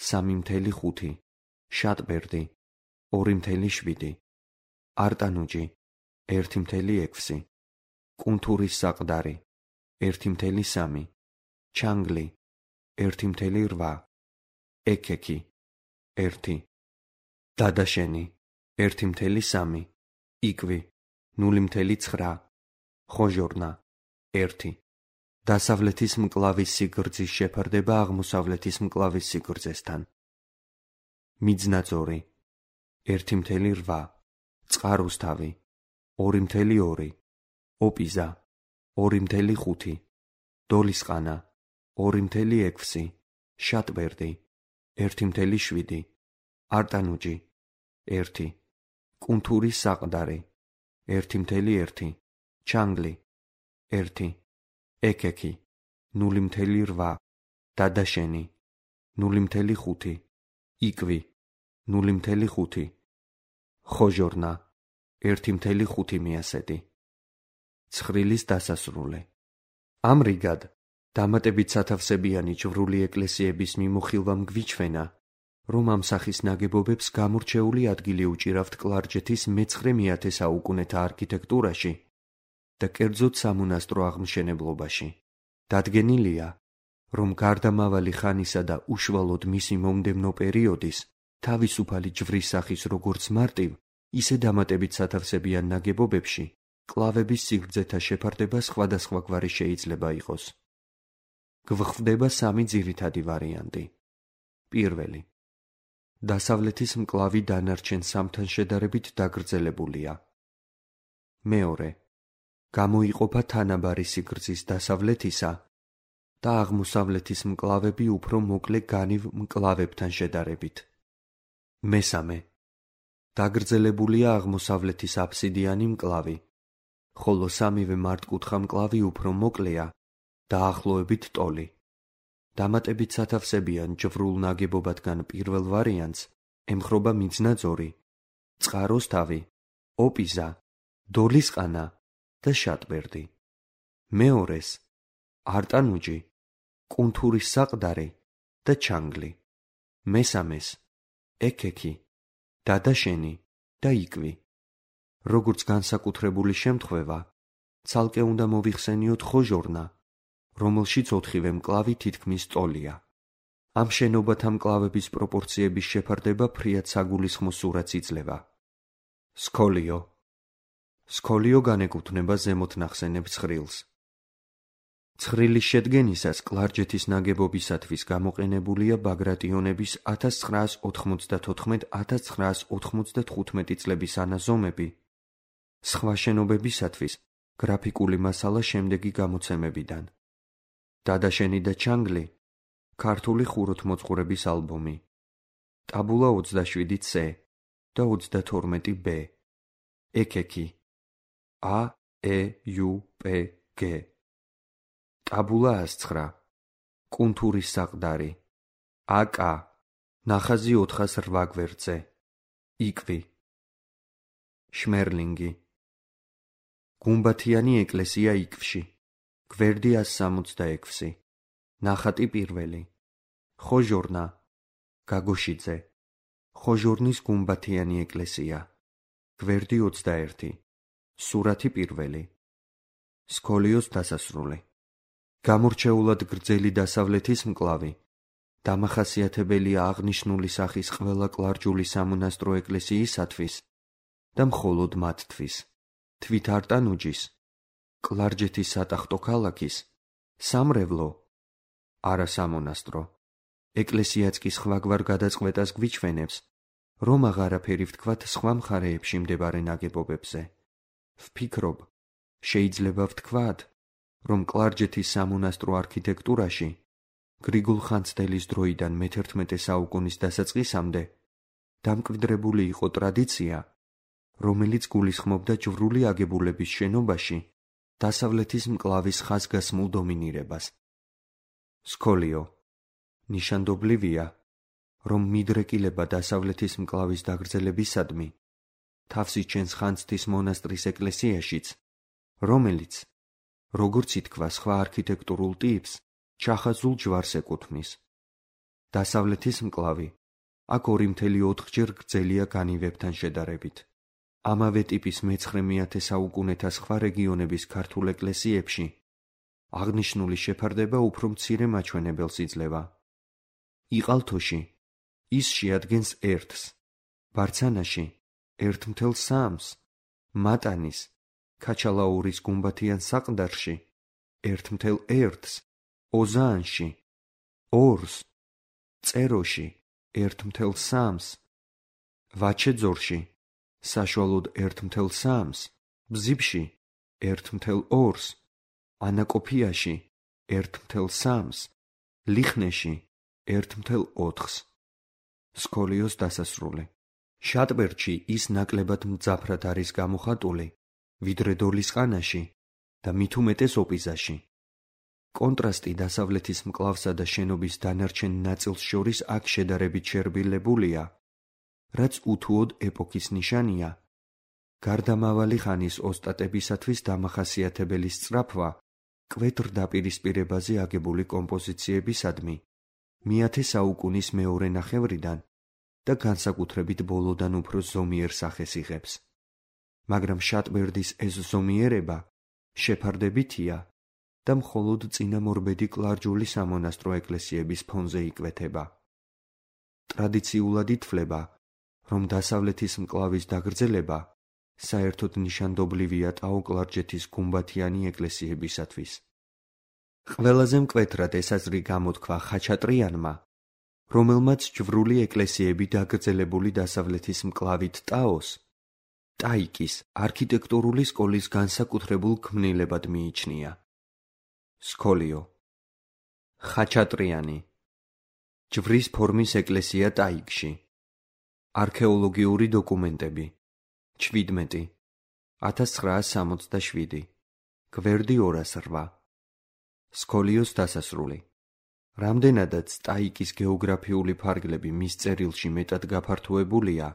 სამი მცდარი ხუთი, შატბერდი ორი მცდარი შვიდი, არტანუჯი ერთი მცდარი ექვსი, კუნთურის საყდარი ერთი მცდარი სამი, ჩანგლი ერთი მცდარი რვა, ეკექი ერთი, დადაშენი ერთი მცდარი სამი, იკვი ნული მცდარი ცხრა, ხოჟორნა ერთი. დასავლეთის მკლავის სიგრძის შეფარდება აღმოსავლეთის მკლავის სიგრძესთან. მიძნაწორი ერთი მცდარი რვა, წყაროსთავი ორი მცდარი ორი, ოპიზა ორი მცდარი ხუთი, დოლისყანა ორი მცდარი ექვსი, შატბერდი ერთი მცდარი შვიდი, არტანუჯი ერთი, კუნთურის საყდარი ერთი მცდარი ერთი, ჩანგლი ერთი, ეკექი ნული მცდარი რვა, დადაშენი ნული მცდარი ხუთი, იკვი ნული მცდარი ხუთი, ხოჟორნა ერთი მცდარი ხუთი მიასედი. ცხრილის დასასრული. ამრიგად, დამატებით სათავსებიანი ჯვრული ეკლესიების მიმოხილვამ გვიჩვენა, რომ ამ სახის ნაგებობებს გამორჩეული ადგილი უჭირავთ კლარჯეთის მეცხრე მეათე საუკუნეთა არქიტექტურაში და კერძოდ სამონასტრო აღმშენებლობაში. დადგენილია, რომ გარდამავალი ხანისა და უშუალოდ მისი მომდევნო პერიოდის თავისუფალი ჯვრის სახის როგორც მარტივ, ისე დამატებით სათავსებიან ნაგებობებში კლავების სიგრძეთა შეფარდება სხვადასხვაგვარი შეიძლება იყოს. გვხვდება სამი ძირითადი ვარიანტი. პირველი. დასავლეთის მკლავი დანარჩენ სამთან შედარებით დაგრძელებულია. მეორე. გამოიყოფა თანაბარი სიგრძის დასავლეთისა და აღმოსავლეთის მკლავები უფრო მოკლე განივ მკლავებთან შედარებით. მესამე. დაგრძელებულია აღმოსავლეთის აფსიდიანი მკლავი, ხოლო სამივე მართკუთხა მკლავი უფრო მოკლეა, დაახლოებით ტოლი. დამატებით სათავსებიან ჯვრულ ნაგებობათგან პირველ ვარიანტს ემხრობა მიძნაძორი, წყაროს თავი, ოპიზა, დოლისყანა და შატბერდი. მეორეს არტანუჯი, კუნთურის საყდარი და ჩანგლი. მესამეს ეკექი, დადაშენი და იკვი. როგორც განსაკუთრებული შემთხვევა, ცალკე უნდა მოვიხსენიოთ ხოჟორნა, რომელშიც ოთხივე მკლავი თითქმის ტოლია. ამ შენობათა მკლავების პროპორციების შეფარდება ფრიად საგულისხმო სურათს იძლევა. სქოლიო. სქოლიო განეკუთვნება ზემოთ ნახსენებ ცხრილს. ცხრილის შედგენისას კლარჯეთის ნაგებობისათვის გამოყენებულია ბაგრატიონების ათას ცხრაას ოთხმოცდათოთხმეტ ათას ცხრაას ოთხმოცდათხუთმეტი წლების ანაზომები, სხვა შენობებისათვის გრაფიკული მასალა შემდეგი გამოცემებიდან. დადაშენი და ჩანგლი, ქართული ხუროთმოძღვრების ალბომი, ტაბულა ოცდაშვიდი C და ოცდათორმეტი B, ეკექი, A, E, U, P, G, ტაბულა ას ცხრა, კუნთურის საყდარი, აკ, ნახაზი ოთხას რვა გვერდზე, იკვი, შმერლინგი. გუმბათიანი ეკლესია იკვში, გვერდი ას სამოცდაექვსი, ნახატი პირველი, ხოჟორნა, გაგოშიძე, ხოჟორნის გუმბათიანი ეკლესია, გვერდი ოცდაერთი, სურათი პირველი, სქოლიოს დასასრული. გამორჩეულად გრძელი დასავლეთის მკლავი, დამახასიათებელია აღნიშნული სახის ყველა კლარჯული სამონასტრო ეკლესიისათვის და მხოლოდ მათთვის, თვით არტანუჯის, კლარჯეთის სატახტო ქალაქის, სამრევლო, არა სამონასტრო, ეკლესიაც კი სხვაგვარ გადაწყვეტას გვიჩვენებს, რომ აღარაფერი ვთქვათ სხვა მხარეებში მდებარე ნაგებობებზე. ვფიქრობ, შეიძლება ვთქვათ, რომ კლარჯეთის სამონასტრო არქიტექტურაში გრიგოლ ხანძთელის დროიდან მეთერთმეტე საუკუნის დასაწყისამდე დამკვიდრებული იყო ტრადიცია, რომელიც გულისხმობდა ჯვრული აგებულების შენობაში დასავლეთის მკლავის ხაზგასმულ დომინირებას. სქოლიო. ნიშანდობლივია, რომ მიდრეკილება დასავლეთის მკლავის დაგრძელებისადმი თავს იჩენს ხანძთის მონასტრის ეკლესიაშიც, რომელიც, როგორც ითქვა სხვა არქიტექტურულ ტიპს, ჩახაზულ ჯვარს ეკუთვნის. დასავლეთის მკლავი აქ ორი მთელი ოთხჯერ გრძელია განივებთან შედარებით. ამავე ტიპის მეცხრე მეათე საუკუნეთა სხვა რეგიონების ქართულ ეკლესიებში აღნიშნული შეფარდება უფრო მცირე მაჩვენებელს იძლევა. იყალთოში ის შეადგენს ერთს, ბარცანაში ერთ მთელ სამს, მატანის, ქაჩალაურის გუმბათიან საყდარში ერთ მთელ ერთს, ოზაანში ორს, წეროში ერთ მთელ სამს, ვაჩეძორში საშუალოდ ერთ მთელ სამს, ბზიფში ერთ მთელ ორს, ანაკოფიაში ერთ მთელ სამს, ლიხნეში ერთ მთელ ოთხს. სქოლიოს დასასრული. შატბერდში ის ნაკლებად მძაფრად არის გამოხატული, ვიდრე დოლისყანაში და მით უმეტეს ოპიზაში. კონტრასტი დასავლეთის მკლავსა და შენობის დანარჩენ ნაწილს შორის აქ შედარებით შერბილებულია, რაც უთუოდ ეპოქის ნიშანია გარდამავალი ხანის ოსტატებისათვის დამახასიათებელი სწრაფვა კვეთრ დაპირისპირებაზე აგებული კომპოზიციებისადმი მეათე საუკუნის მეორე ნახევრიდან და განსაკუთრებით ბოლოდან უფრო ზომიერ სახეს იღებს. მაგრამ შატბერდის ეს ზომიერება შეფარდებითია და მხოლოდ წინამორბედი კლარჯული სამონასტრო ეკლესიების ფონზე იკვეთება. ტრადიციულად ითვლება, რომ დასავლეთის მკლავის დაგრძელება საერთოდ ნიშანდობლივია ტაო-კლარჯეთის გუმბათიანი ეკლესიებისათვის. ყველაზე მკვეთრად ეს აზრი გამოთქვა ხაჩატრიანმა, რომელმაც ჯვრული ეკლესიები დაგრძელებული დასავლეთის მკლავით ტაოს, ტაიკის არქიტექტურული სკოლის განსაკუთრებულ ქმნილებად მიიჩნია. სკოლიო ხაჩატრიანი ჯვრის ფორმის ეკლესია ტაიკში. არქეოლოგიური დოკუმენტები ჩვიდმეტი ათას ცხრაას სამოცდაშვიდი გვერდი ორას რვა სკოლიოს დასასრული. რამდენადაც ტაიკის გეოგრაფიული ფარგლები მის წერილში მეტად გაფართოებულია.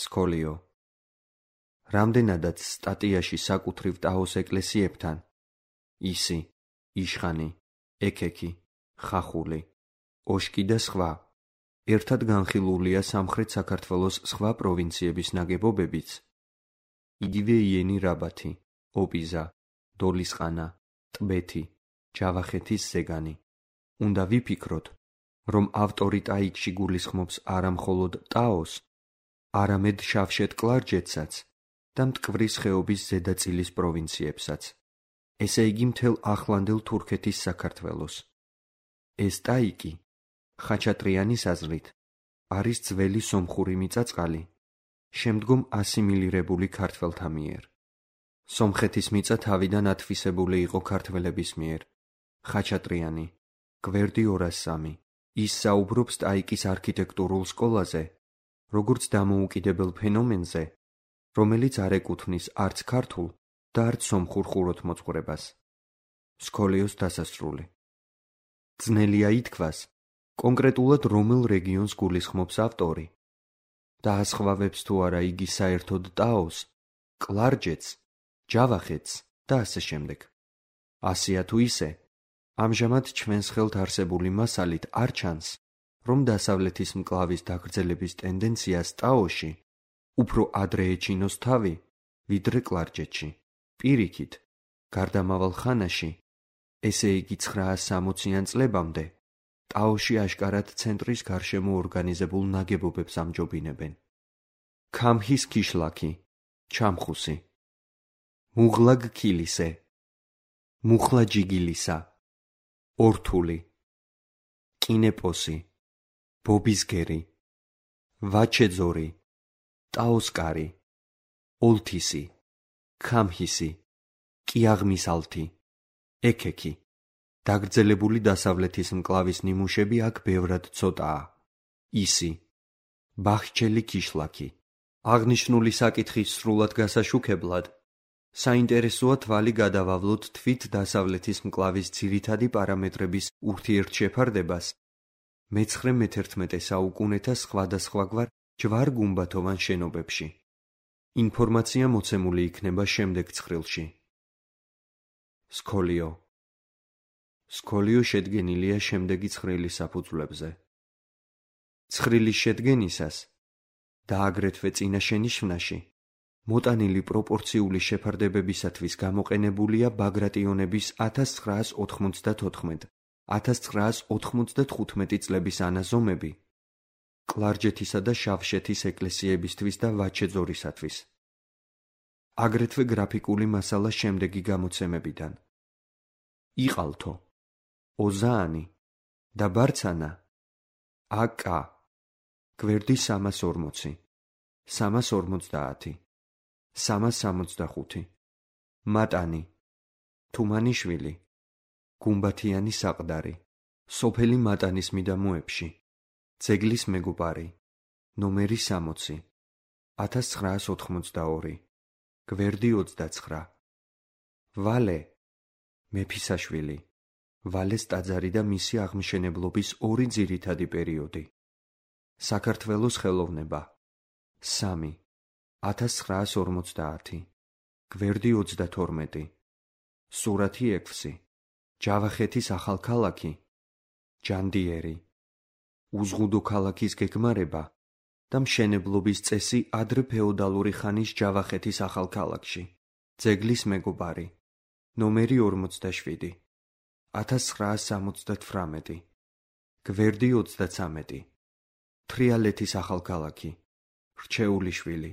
სკოლიო რამდენადაც სტატიაში საკუთრივ ტაოს ეკლესიებთან ისი, იშხანი, ექექი, ხახული, ოშკი და სხვა ერთად განხილულია სამხრეთ საქართველოს სხვა პროვინციების ნაგებობებიც, იგივე იენი რაბათი, ოპიზა, დოლისყანა, ტბეთი, ჯავახეთის ზეგანი. უნდა ვიფიქროთ, რომ ავტორი ტაიკში გულისხმობს არა მხოლოდ ტაოს, არამედ შავშეთ კლარჯეთსაც და მტკვრის ხეობის ზედაწილის პროვინციებსაც, ესე იგი მთელ ახლანდელ თურქეთის საქართველოს. ეს ტაიკი ხაჩატრიანის აზრით არის ძველი სომხური მიწა-წყალი, შემდგომ ასიმილირებული ქართველთა მიერ. სომხეთის მიწა თავიდან ათვისებული იყო ქართველების მიერ. ხაჩატრიანი გვერდი ორას სამი ის საუბრობს ტაიკის არქიტექტურულ სკოლაზე, როგორც დამოუკიდებელ ფენომენზე, რომელიც არ ეკუთვნის არც ქართულ და არც სომხურ ხუროთმოძღვრებას. სკოლიოს დასასრული. ძნელია ითქვას, კონკრეტულად რომელ რეგიონს გულისხმობს ავტორი. დაასხვავებს თუ არა იგი საერთოდ ტაოს, კლარჯეთს, ჯავახეთს და ასე შემდეგ. ასეა თუ ისე, ამჟამად ჩვენს ხელთ არსებული მასალით არ ჩანს, რომ დასავლეთის მკლავის დაგრძელების ტენდენციას ტაოში უფრო ადრე ეჩინოს თავი, ვიდრე კლარჯეთში. პირიქით, გარდამავალ ხანაში, ესე იგი ცხრაას სამოციან წლებამდე, ტაოში აშკარად ცენტრის გარშემო ორგანიზებულ ნაგებობებს ამჯობინებენ. ქამჰის ქიშლაკი, ჩამხუსი, მუღლაგ ქილისე, მუხლა ჯიგილისა, ორთული, კინეპოსი, ბობისგერი, ვაჩეძორი, ტაოსკარი, ოლთისი, ქამჰისი, კიაღმისალთი, ექექი. დაგრძელებული დასავლეთის მკლავის ნიმუშები აქ ბევრად ცოტაა. ისი, ბახჩელი ქიშლაკი. აღნიშნული საკითხის სრულად გასაშუქებლად საინტერესოა თვალი გადავავლოთ თვით დასავლეთის მკლავის ძირითადი პარამეტრების ურთიერთშეფარდებას მეცხრე-მეთერთმეტე საუკუნეთა სხვადასხვაგვარ ჯვარ-გუმბათოვან შენობებში. ინფორმაცია მოცემული იქნება შემდეგ ცხრილში. სკოლიო სკოლიო შედგენილია შემდეგი ცხრილის საფუძვლებზე. ცხრილის შედგენისას და აგრეთვე წინა შენიშვნაში მოტანილი პროპორციული შეფარდებებისათვის გამოყენებულია ბაგრატიონების ათას ცხრაას ოთხმოცდათოთხმეტ ათას ცხრაას ოთხმოცდათხუთმეტი წლების ანაზომები კლარჯეთისა და შავშეთის ეკლესიებისთვის და ვაჩეძორისათვის. აგრეთვე გრაფიკული მასალა შემდეგი გამოცემებიდან. იყალთო, ოზაანი და ბარცანა, აკა, გვერდი სამას ორმოცი, სამას ორმოცდაათი, სამას სამოცდახუთი, მატანი, თუმანიშვილი, გუმბათიანი საყდარი, სოფელი მატანის მიდამოებში, ძეგლის მეგობარი, ნომერი სამოცი, ათას ცხრაას ოთხმოცდაორი, გვერდი ოცდაცხრა, ვალე, მეფისაშვილი, ვალეს ტაძარი და მისი აღმშენებლობის ორი ძირითადი პერიოდი. საქართველოს ხელოვნება, სამი, ათას ცხრაას ორმოცდაათი, გვერდი ოცდათორმეტი, სურათი ექვსი, ჯავახეთის ახალქალაქი, ჯანდიერი, უზღუდო ქალაქის გეგმარება და მშენებლობის წესი ადრე ფეოდალური ხანის ჯავახეთის ახალქალაქში, ძეგლის მეგობარი, ნომერი ორმოცდაშვიდი, ათას ცხრაას სამოცდათვრამეტი, გვერდი ოცდაცამეტი, თრიალეთის ახალქალაქი, რჩეულიშვილი,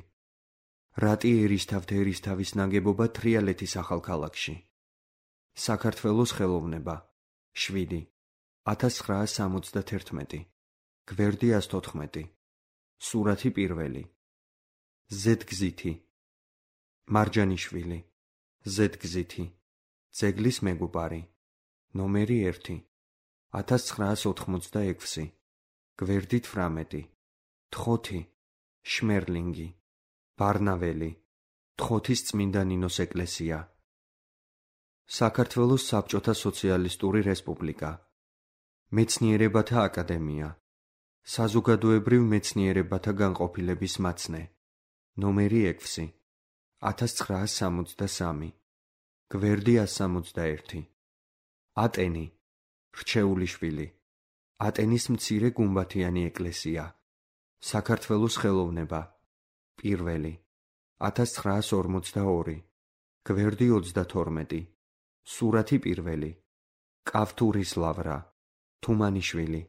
რატი ერისთავთ ერისთავის ნაგებობა თრიალეთის ახალქალაქში, საქართველოს ხელოვნება, შვიდი, ათას ცხრაას სამოცდათერთმეტი, გვერდი ათსთოთხმეტი, სურათი პირველი, ზედგზითი, მარჯანიშვილი, ზედგზითი, ძეგლის მეგობარი, ნომერი ერთი, ათას ცხრაას ოთხმოცდაექვსი, გვერდი თვრამეტი, თხოთი, შმერლინგი, ბარნაველი, თხოთის წმინდა ნინოს ეკლესია, საქართველოს საბჭოთა სოციალისტური რესპუბლიკა, მეცნიერებათა აკადემია, საზოგადოებრივ მეცნიერებათა განყოფილების მაცნე, ნომერი ექვსი, ათას ცხრაას სამოცდასამი, გვერდი ათს სამოცდაერთი, ატენი, რჩეულიშვილი, ატენის მცირე გუმბათიანი ეკლესია, საქართველოს ხელოვნება, პირველი, ათას ცხრაას ორმოცდაორი, გვერდი ოცდათორმეტი, სურათი პირველი, კავთურის ლავრა, თუმანიშვილი,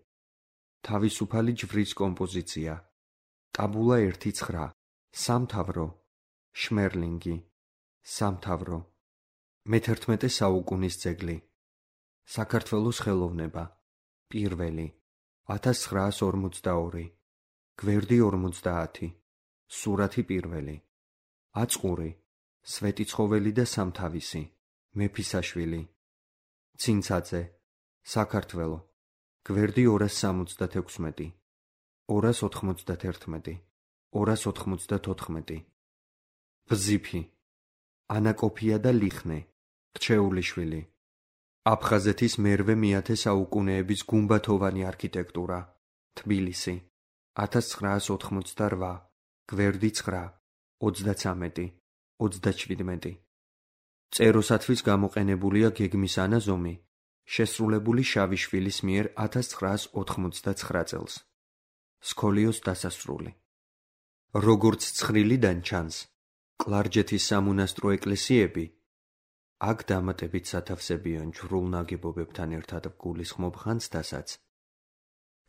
თავისუფალი ჯვრის კომპოზიცია, ტაბულა ერთი ცხრა, სამთავრო, შმერლინგი, სამთავრო, მეთერთმეტე საუკუნის ძეგლი, საქართველოს ხელოვნება, პირველი, ათას ცხრაას ორმოცდაორი, გვერდი ორმოცდაათი, სურათი პირველი, აწყური, სვეტიცხოველი და სამთავისი, მეფისაშვილი, ცინცაძე, საქართველო, გვერდი ორას სამოცდათექვსმეტი, ორას ოთხმოცდათერთმეტი, ორას ოთხმოცდათოთხმეტი, ბზიფი, ანაკოფია და ლიხნე, რჩეულიშვილი, აფხაზეთის მერვე მეათე საუკუნეების გუმბათოვანი არქიტექტურა, თბილისი, ათას ცხრაას ოთხმოცდარვა, გვერდი ცხრა, ოცდაცამეტი, ოცდაჩვიდმეტი. წეროსათვის გამოყენებულია გეგმის ანაზომი, შესრულებული შავიშვილის მიერ ათას ცხრაას ოთხმოცდაცხრა წელს. სქოლიოს დასასრული. როგორც ცხრილიდან ჩანს, კლარჯეთის სამონასტრო ეკლესიები, აქ დამატებით სათავსებიან ჯვრულ ნაგებობებთან ერთად გულისხმობ ხანძთასაც,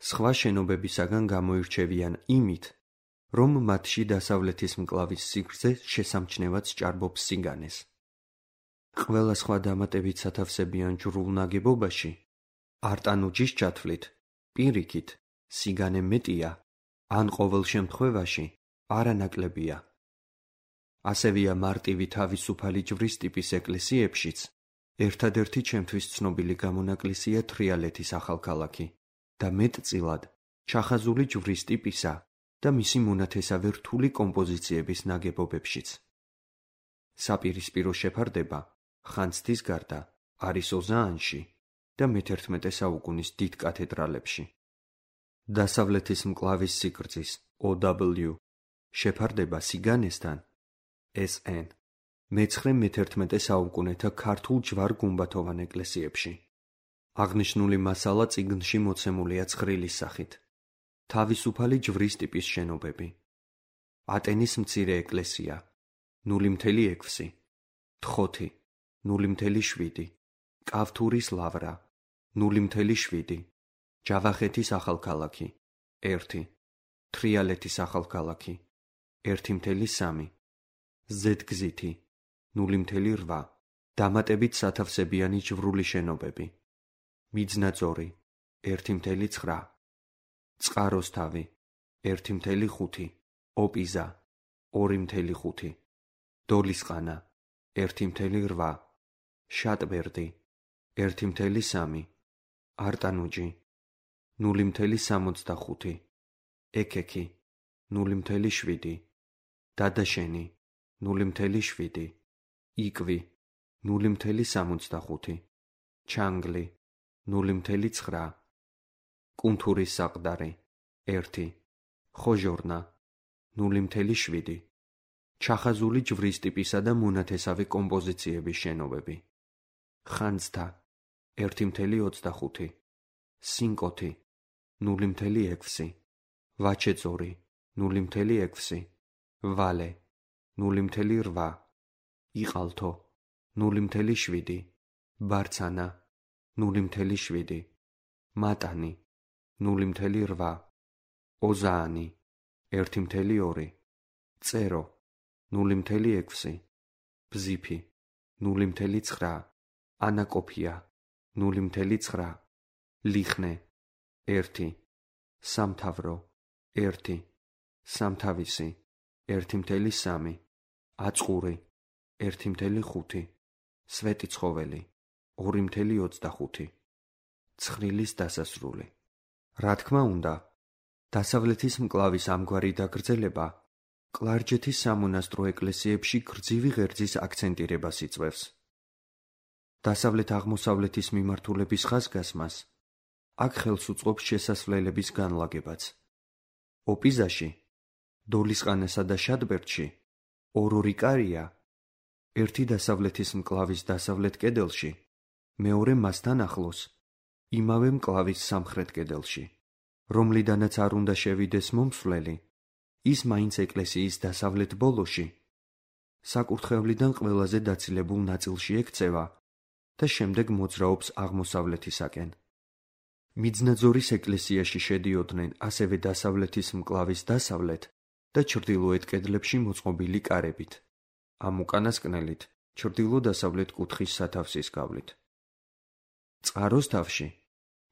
სხვა შენობებისაგან გამოირჩევიან იმით, რომ მათში დასავლეთის მკლავის სიგრძე შესამჩნევად სჭარბობს სიგანეს. ყველა სხვა დამატებით სათავსებიან ჯვრულ ნაგებობაში, არტანუჯის ჩათვლით, პირიქით, სიგანე მეტია, ან ყოველ შემთხვევაში არანაკლებია. ასევეა მარტივი თავისუფალი ჯვრის ტიპის ეკლესიებშიც, ერთადერთი ჩემთვის ცნობილი გამონაკლისია თრიალეთის ახალქალაქი და მეტწილად ჩახაზული ჯვრის ტიპისა და მისი მონათესავე რთული კომპოზიციების ნაგებობებშიც. საპირისპირო შეფარდება ხანძთის გარდა არის ოზაანში და მეთერთმეტე საუკუნის დიდ კათედრალებში. დასავლეთის მკლავის სიგრძის O W შეფარდება სიგანესთან S N მეცხრე-მეთერთმეტე საუკუნეთა ქართულ ჯვარ-გუმბათოვან ეკლესიებში. აღნიშნული მასალა წიგნში მოცემულია ცხრილის სახით. თავისუფალი ჯვრის ტიპის შენობები. ატენის მცირე ეკლესია, ნული მთელი ექვსი, თხოთი, ნული მთელი შვიდი, კავთურის ლავრა, ნული მთელი შვიდი, ჯავახეთის ახალქალაქი, ერთი, თრიალეთის ახალქალაქი, ერთი მთელი სამი, ზედგზითი, ნული მთელი რვა, დამატებით სათავსებიანი ჯვრული შენობები, მიძნაწორი, ერთი მთელი ცხრა, წყაროსთავი, ერთი მთელი ხუთი, ოპიზა, ორი მთელი ხუთი, დოლისყანა, ერთი მთელი რვა, შატბერდი, ერთი მთელი სამი, არტანუჯი, ნული მთელი სამოცდახუთი, ეკექი, ნული მთელი შვიდი, დადაშენი, ნული მთელი შვიდი, იკვი, ნული მთელი სამოცდახუთი, ჩანგლი, ნული მთელი ცხრა, კუნთურის საყდარი, ერთი, ხოჟორნა, ნული მთელი შვიდი, ჩახაზული ჯვრის ტიპისა და მონათესავე კომპოზიციების შენობები. ხანძთა ერთი მცდელო ოცდახუთი, სინკოთი ნული მცდელო ექვსი, ვაჩეწორი ნული მცდელო ექვსი, ვალე ნული მცდელო რვა, იყალთო ნული მცდელო შვიდი, ბარცანა ნული მცდელო შვიდი, მატანი ნული მცდელო რვა, ოზაანი ერთი მცდელო ორი, წერო ნული მცდელო ექვსი, ბზიფი ნული მცდელო ცხრა, ანაკოფია ნული მცდელო ცხრა, ლიხნე ერთი, სამთავრო ერთი, სამთავისი ერთი მცდელო სამი, აწყური ერთი მცდელო ხუთი, სვეტიცხოველი ორი მცდელო ოცდახუთი. ცხრილის დასასრული. რა თქმა უნდა, დასავლეთის მკლავის ამგვარი დაგრძელება კლარჯეთის სამონასტრო ეკლესიებში გრძივი ღერძის აქცენტირებას იწვევს. დასავლეთ-აღმოსავლეთის მიმართულების ხაზგასმას აქ ხელს უწყობს შესასვლელების განლაგებაც. ოპიზაში, დოლისყანასა და შადბერდში ორ-ორი კარია, ერთი დასავლეთის მკლავის დასავლეთ კედელში, მეორე მასთან ახლოს, იმავე მკლავის სამხრეთ კედელში, რომლიდანაც არ უნდა შევიდეს მომსვლელი, ის მაინც ეკლესიის დასავლეთ ბოლოში, საკურთხევლიდან ყველაზე დაცილებულ ნაწილში ექცევა და შემდეგ მოძრაობს აღმოსავლეთისაკენ. მიძნაძორის ეკლესიაში შედიოდნენ ასევე დასავლეთის მკლავის დასავლეთ და ჩრდილოეთ კედლებში მოწყობილი კარებით, ამ უკანასკნელით ჩრდილო-დასავლეთ კუთხის სათავსის გავლით. წყაროს თავში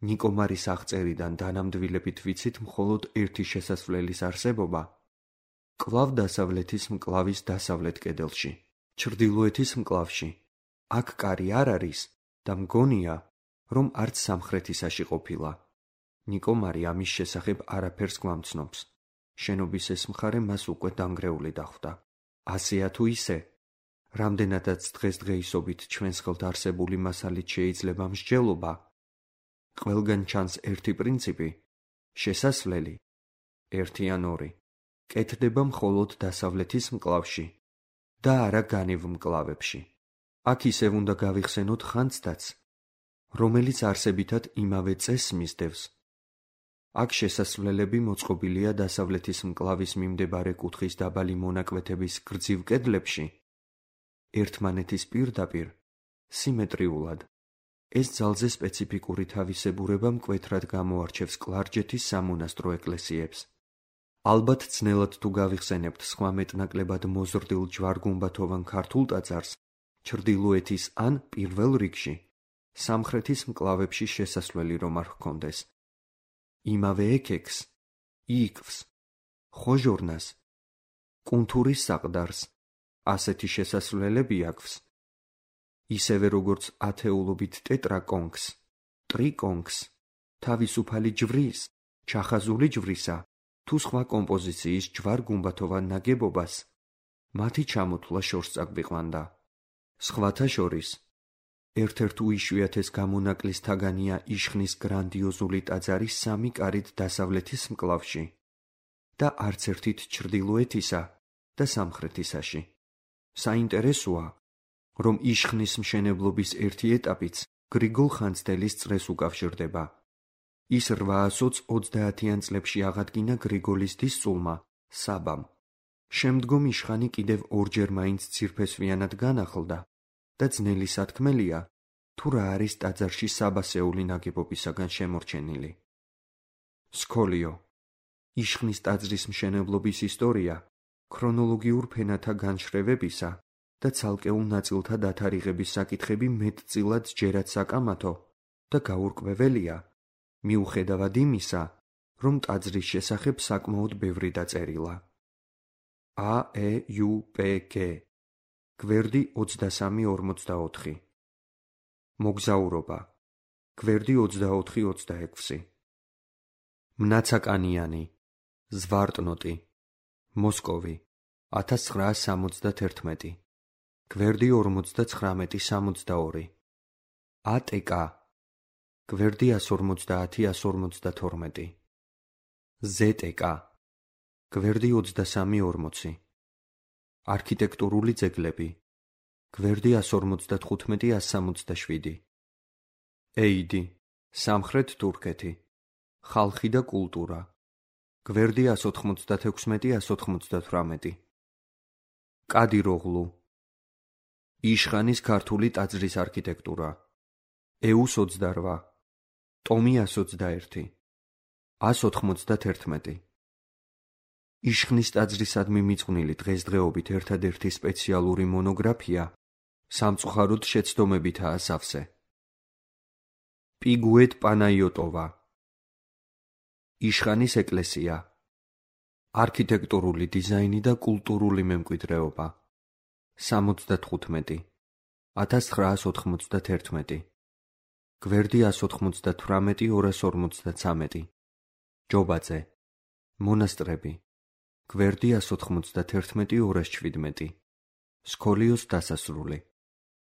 ნიკომარის აღწერიდან დანამდვილებით ვიცით მხოლოდ ერთი შესასვლელის არსებობა, კვლავ დასავლეთის მკლავის დასავლეთ კედელში, ჩრდილოეთის მკლავში. აქ კარი არ არის და მგონია, რომ არც სამხრეთისაში ყოფილა. ნიკომარი ამის შესახებ არაფერს გვამცნობს. შენობის ეს მხარე მას უკვე დანგრეული დახვდა. ასეა თუ ისე, რამდენადაც დღესდღეისობით ჩვენს ხელთ არსებული მასალით შეიძლება მსჯელობა, ყველგან ჩანს ერთი პრინციპი, შესასვლელი, ერთი ან ორი, კეთდება მხოლოდ დასავლეთის მკლავში და არა განივ მკლავებში. აქ ისევ უნდა გავიხსენოთ ხანძთაც, რომელიც არსებითად იმავე წესს მისდევს. აქ შესასვლელები მოწყობილია დასავლეთის მკლავის მიმდებარე კუთხის დაბალი მონაკვეთების გრძივ კედლებში, ერთმანეთის პირდაპირ, სიმეტრიულად. ეს ძალზე სპეციფიკური თავისებურება მკვეთრად გამოარჩევს კლარჯეთის სამონასტრო ეკლესიებს. ალბათ ძნელად თუ გავიხსენებთ სხვა მეტნაკლებად მოზრდილ ჯვარ-გუმბათოვან ქართულ ტაძარს, ჩრდილოეთის ან პირველ რიგში, სამხრეთის მკლავებში შესასვლელი რომ არ ჰქონდეს. იმავე ექექს, იქვს, ხოჟორნას, კუნთურის საყდარს, ასეთი შესასვლელები აქვს. ისევე როგორც ათეულობით ტეტრაკონქს, ტრიკონქს, თავისუფალი ჯვრის, ჩახაზული ჯვრისა, თუ სხვა კომპოზიციის ჯვარ-გუმბათოვან ნაგებობას, მათი ჩამოთვლა შორს წაგვიყვანდა. სხვათა შორის, ერთ-ერთ უიშვიათეს გამონაკლის თაგანია იშხნის გრანდიოზული ტაძარი სამი კარით დასავლეთის მკლავში და არც ერთით ჩრდილოეთისა და სამხრეთისაში. საინტერესოა, რომ იშხნის მშენებლობის ერთი ეტაპიც გრიგოლ ხანძთელის წრეს უკავშირდება. ის რვაასოც ოცდაათიან წლებში აღადგინა გრიგოლის დის სულმა, საბამ. შემდგომ იშხანი კიდევ ორჯერ მაინც ძირფესვიანად განახლდა და ძნელი სათქმელია, თუ რა არის ტაძარში საბასეული ნაგებობისაგან შემორჩენილი. სქოლიო. იშხნის ტაძრის მშენებლობის ისტორია ქრონოლოგიურ ფენათა განშრევებისა და ცალკეულ ნაწილთა დათარიღების საკითხები მეტწილად ჯერაც საკამათო და გაურკვეველია, მიუხედავად იმისა, რომ ტაძრის შესახებ საკმაოდ ბევრი დაწერილა. ა ე იუ პ გ გვერდი ოცდასამი ორმოცდაოთხი. მოგზაურობა. გვერდი ოცდაოთხი ოცდაექვსი. მნაცაკანიანი. ზვარტნოტი. მოსკოვი. ათას ცხრაას სამოცდათერთმეტი. გვერდი ორმოცდაცხრამეტი სამოცდაორი. ა ტე კა. გვერდი ას ორმოცდაათი ას ორმოცდათორმეტი. ზე ტე კა. გვერდი ოცდასამი ორმოცი. არქიტექტურული ძეგლები. გვერდი ას ორმოცდათხუთმეტი ას სამოცდაშვიდი. ეიდი, სამხრეთ თურქეთი. ხალხი და კულტურა. გვერდი ას ოთხმოცდათექვსმეტი ას ოთხმოცდათვრამეტი. კადიროღლუ. იშხანის ქართული ტაძრის არქიტექტურა. ეუს ოცდარვა. ტომი ას ოცდაერთი. ას ოთხმოცდათერთმეტი. იშხნის ტაძრისადმი მიძღვნილი დღესდღეობით ერთადერთი სპეციალური მონოგრაფია სამწუხაროდ შეცდომებითაა სავსე. პიგუეთ პანაიოტოვა. იშხანის ეკლესია. არქიტექტურული დიზაინი და კულტურული მემკვიდრეობა. სამოცდათხუთმეტი. ათას ცხრაას ოთხმოცდათერთმეტი. გვერდი ას ოთხმოცდათვრამეტი ორას ორმოცდაცამეტი. ჯობაძე. მონასტრები. გვერდი ას ოთხმოცდათერთმეტი ორას შვიდმეტი. სქოლიოს დასასრული.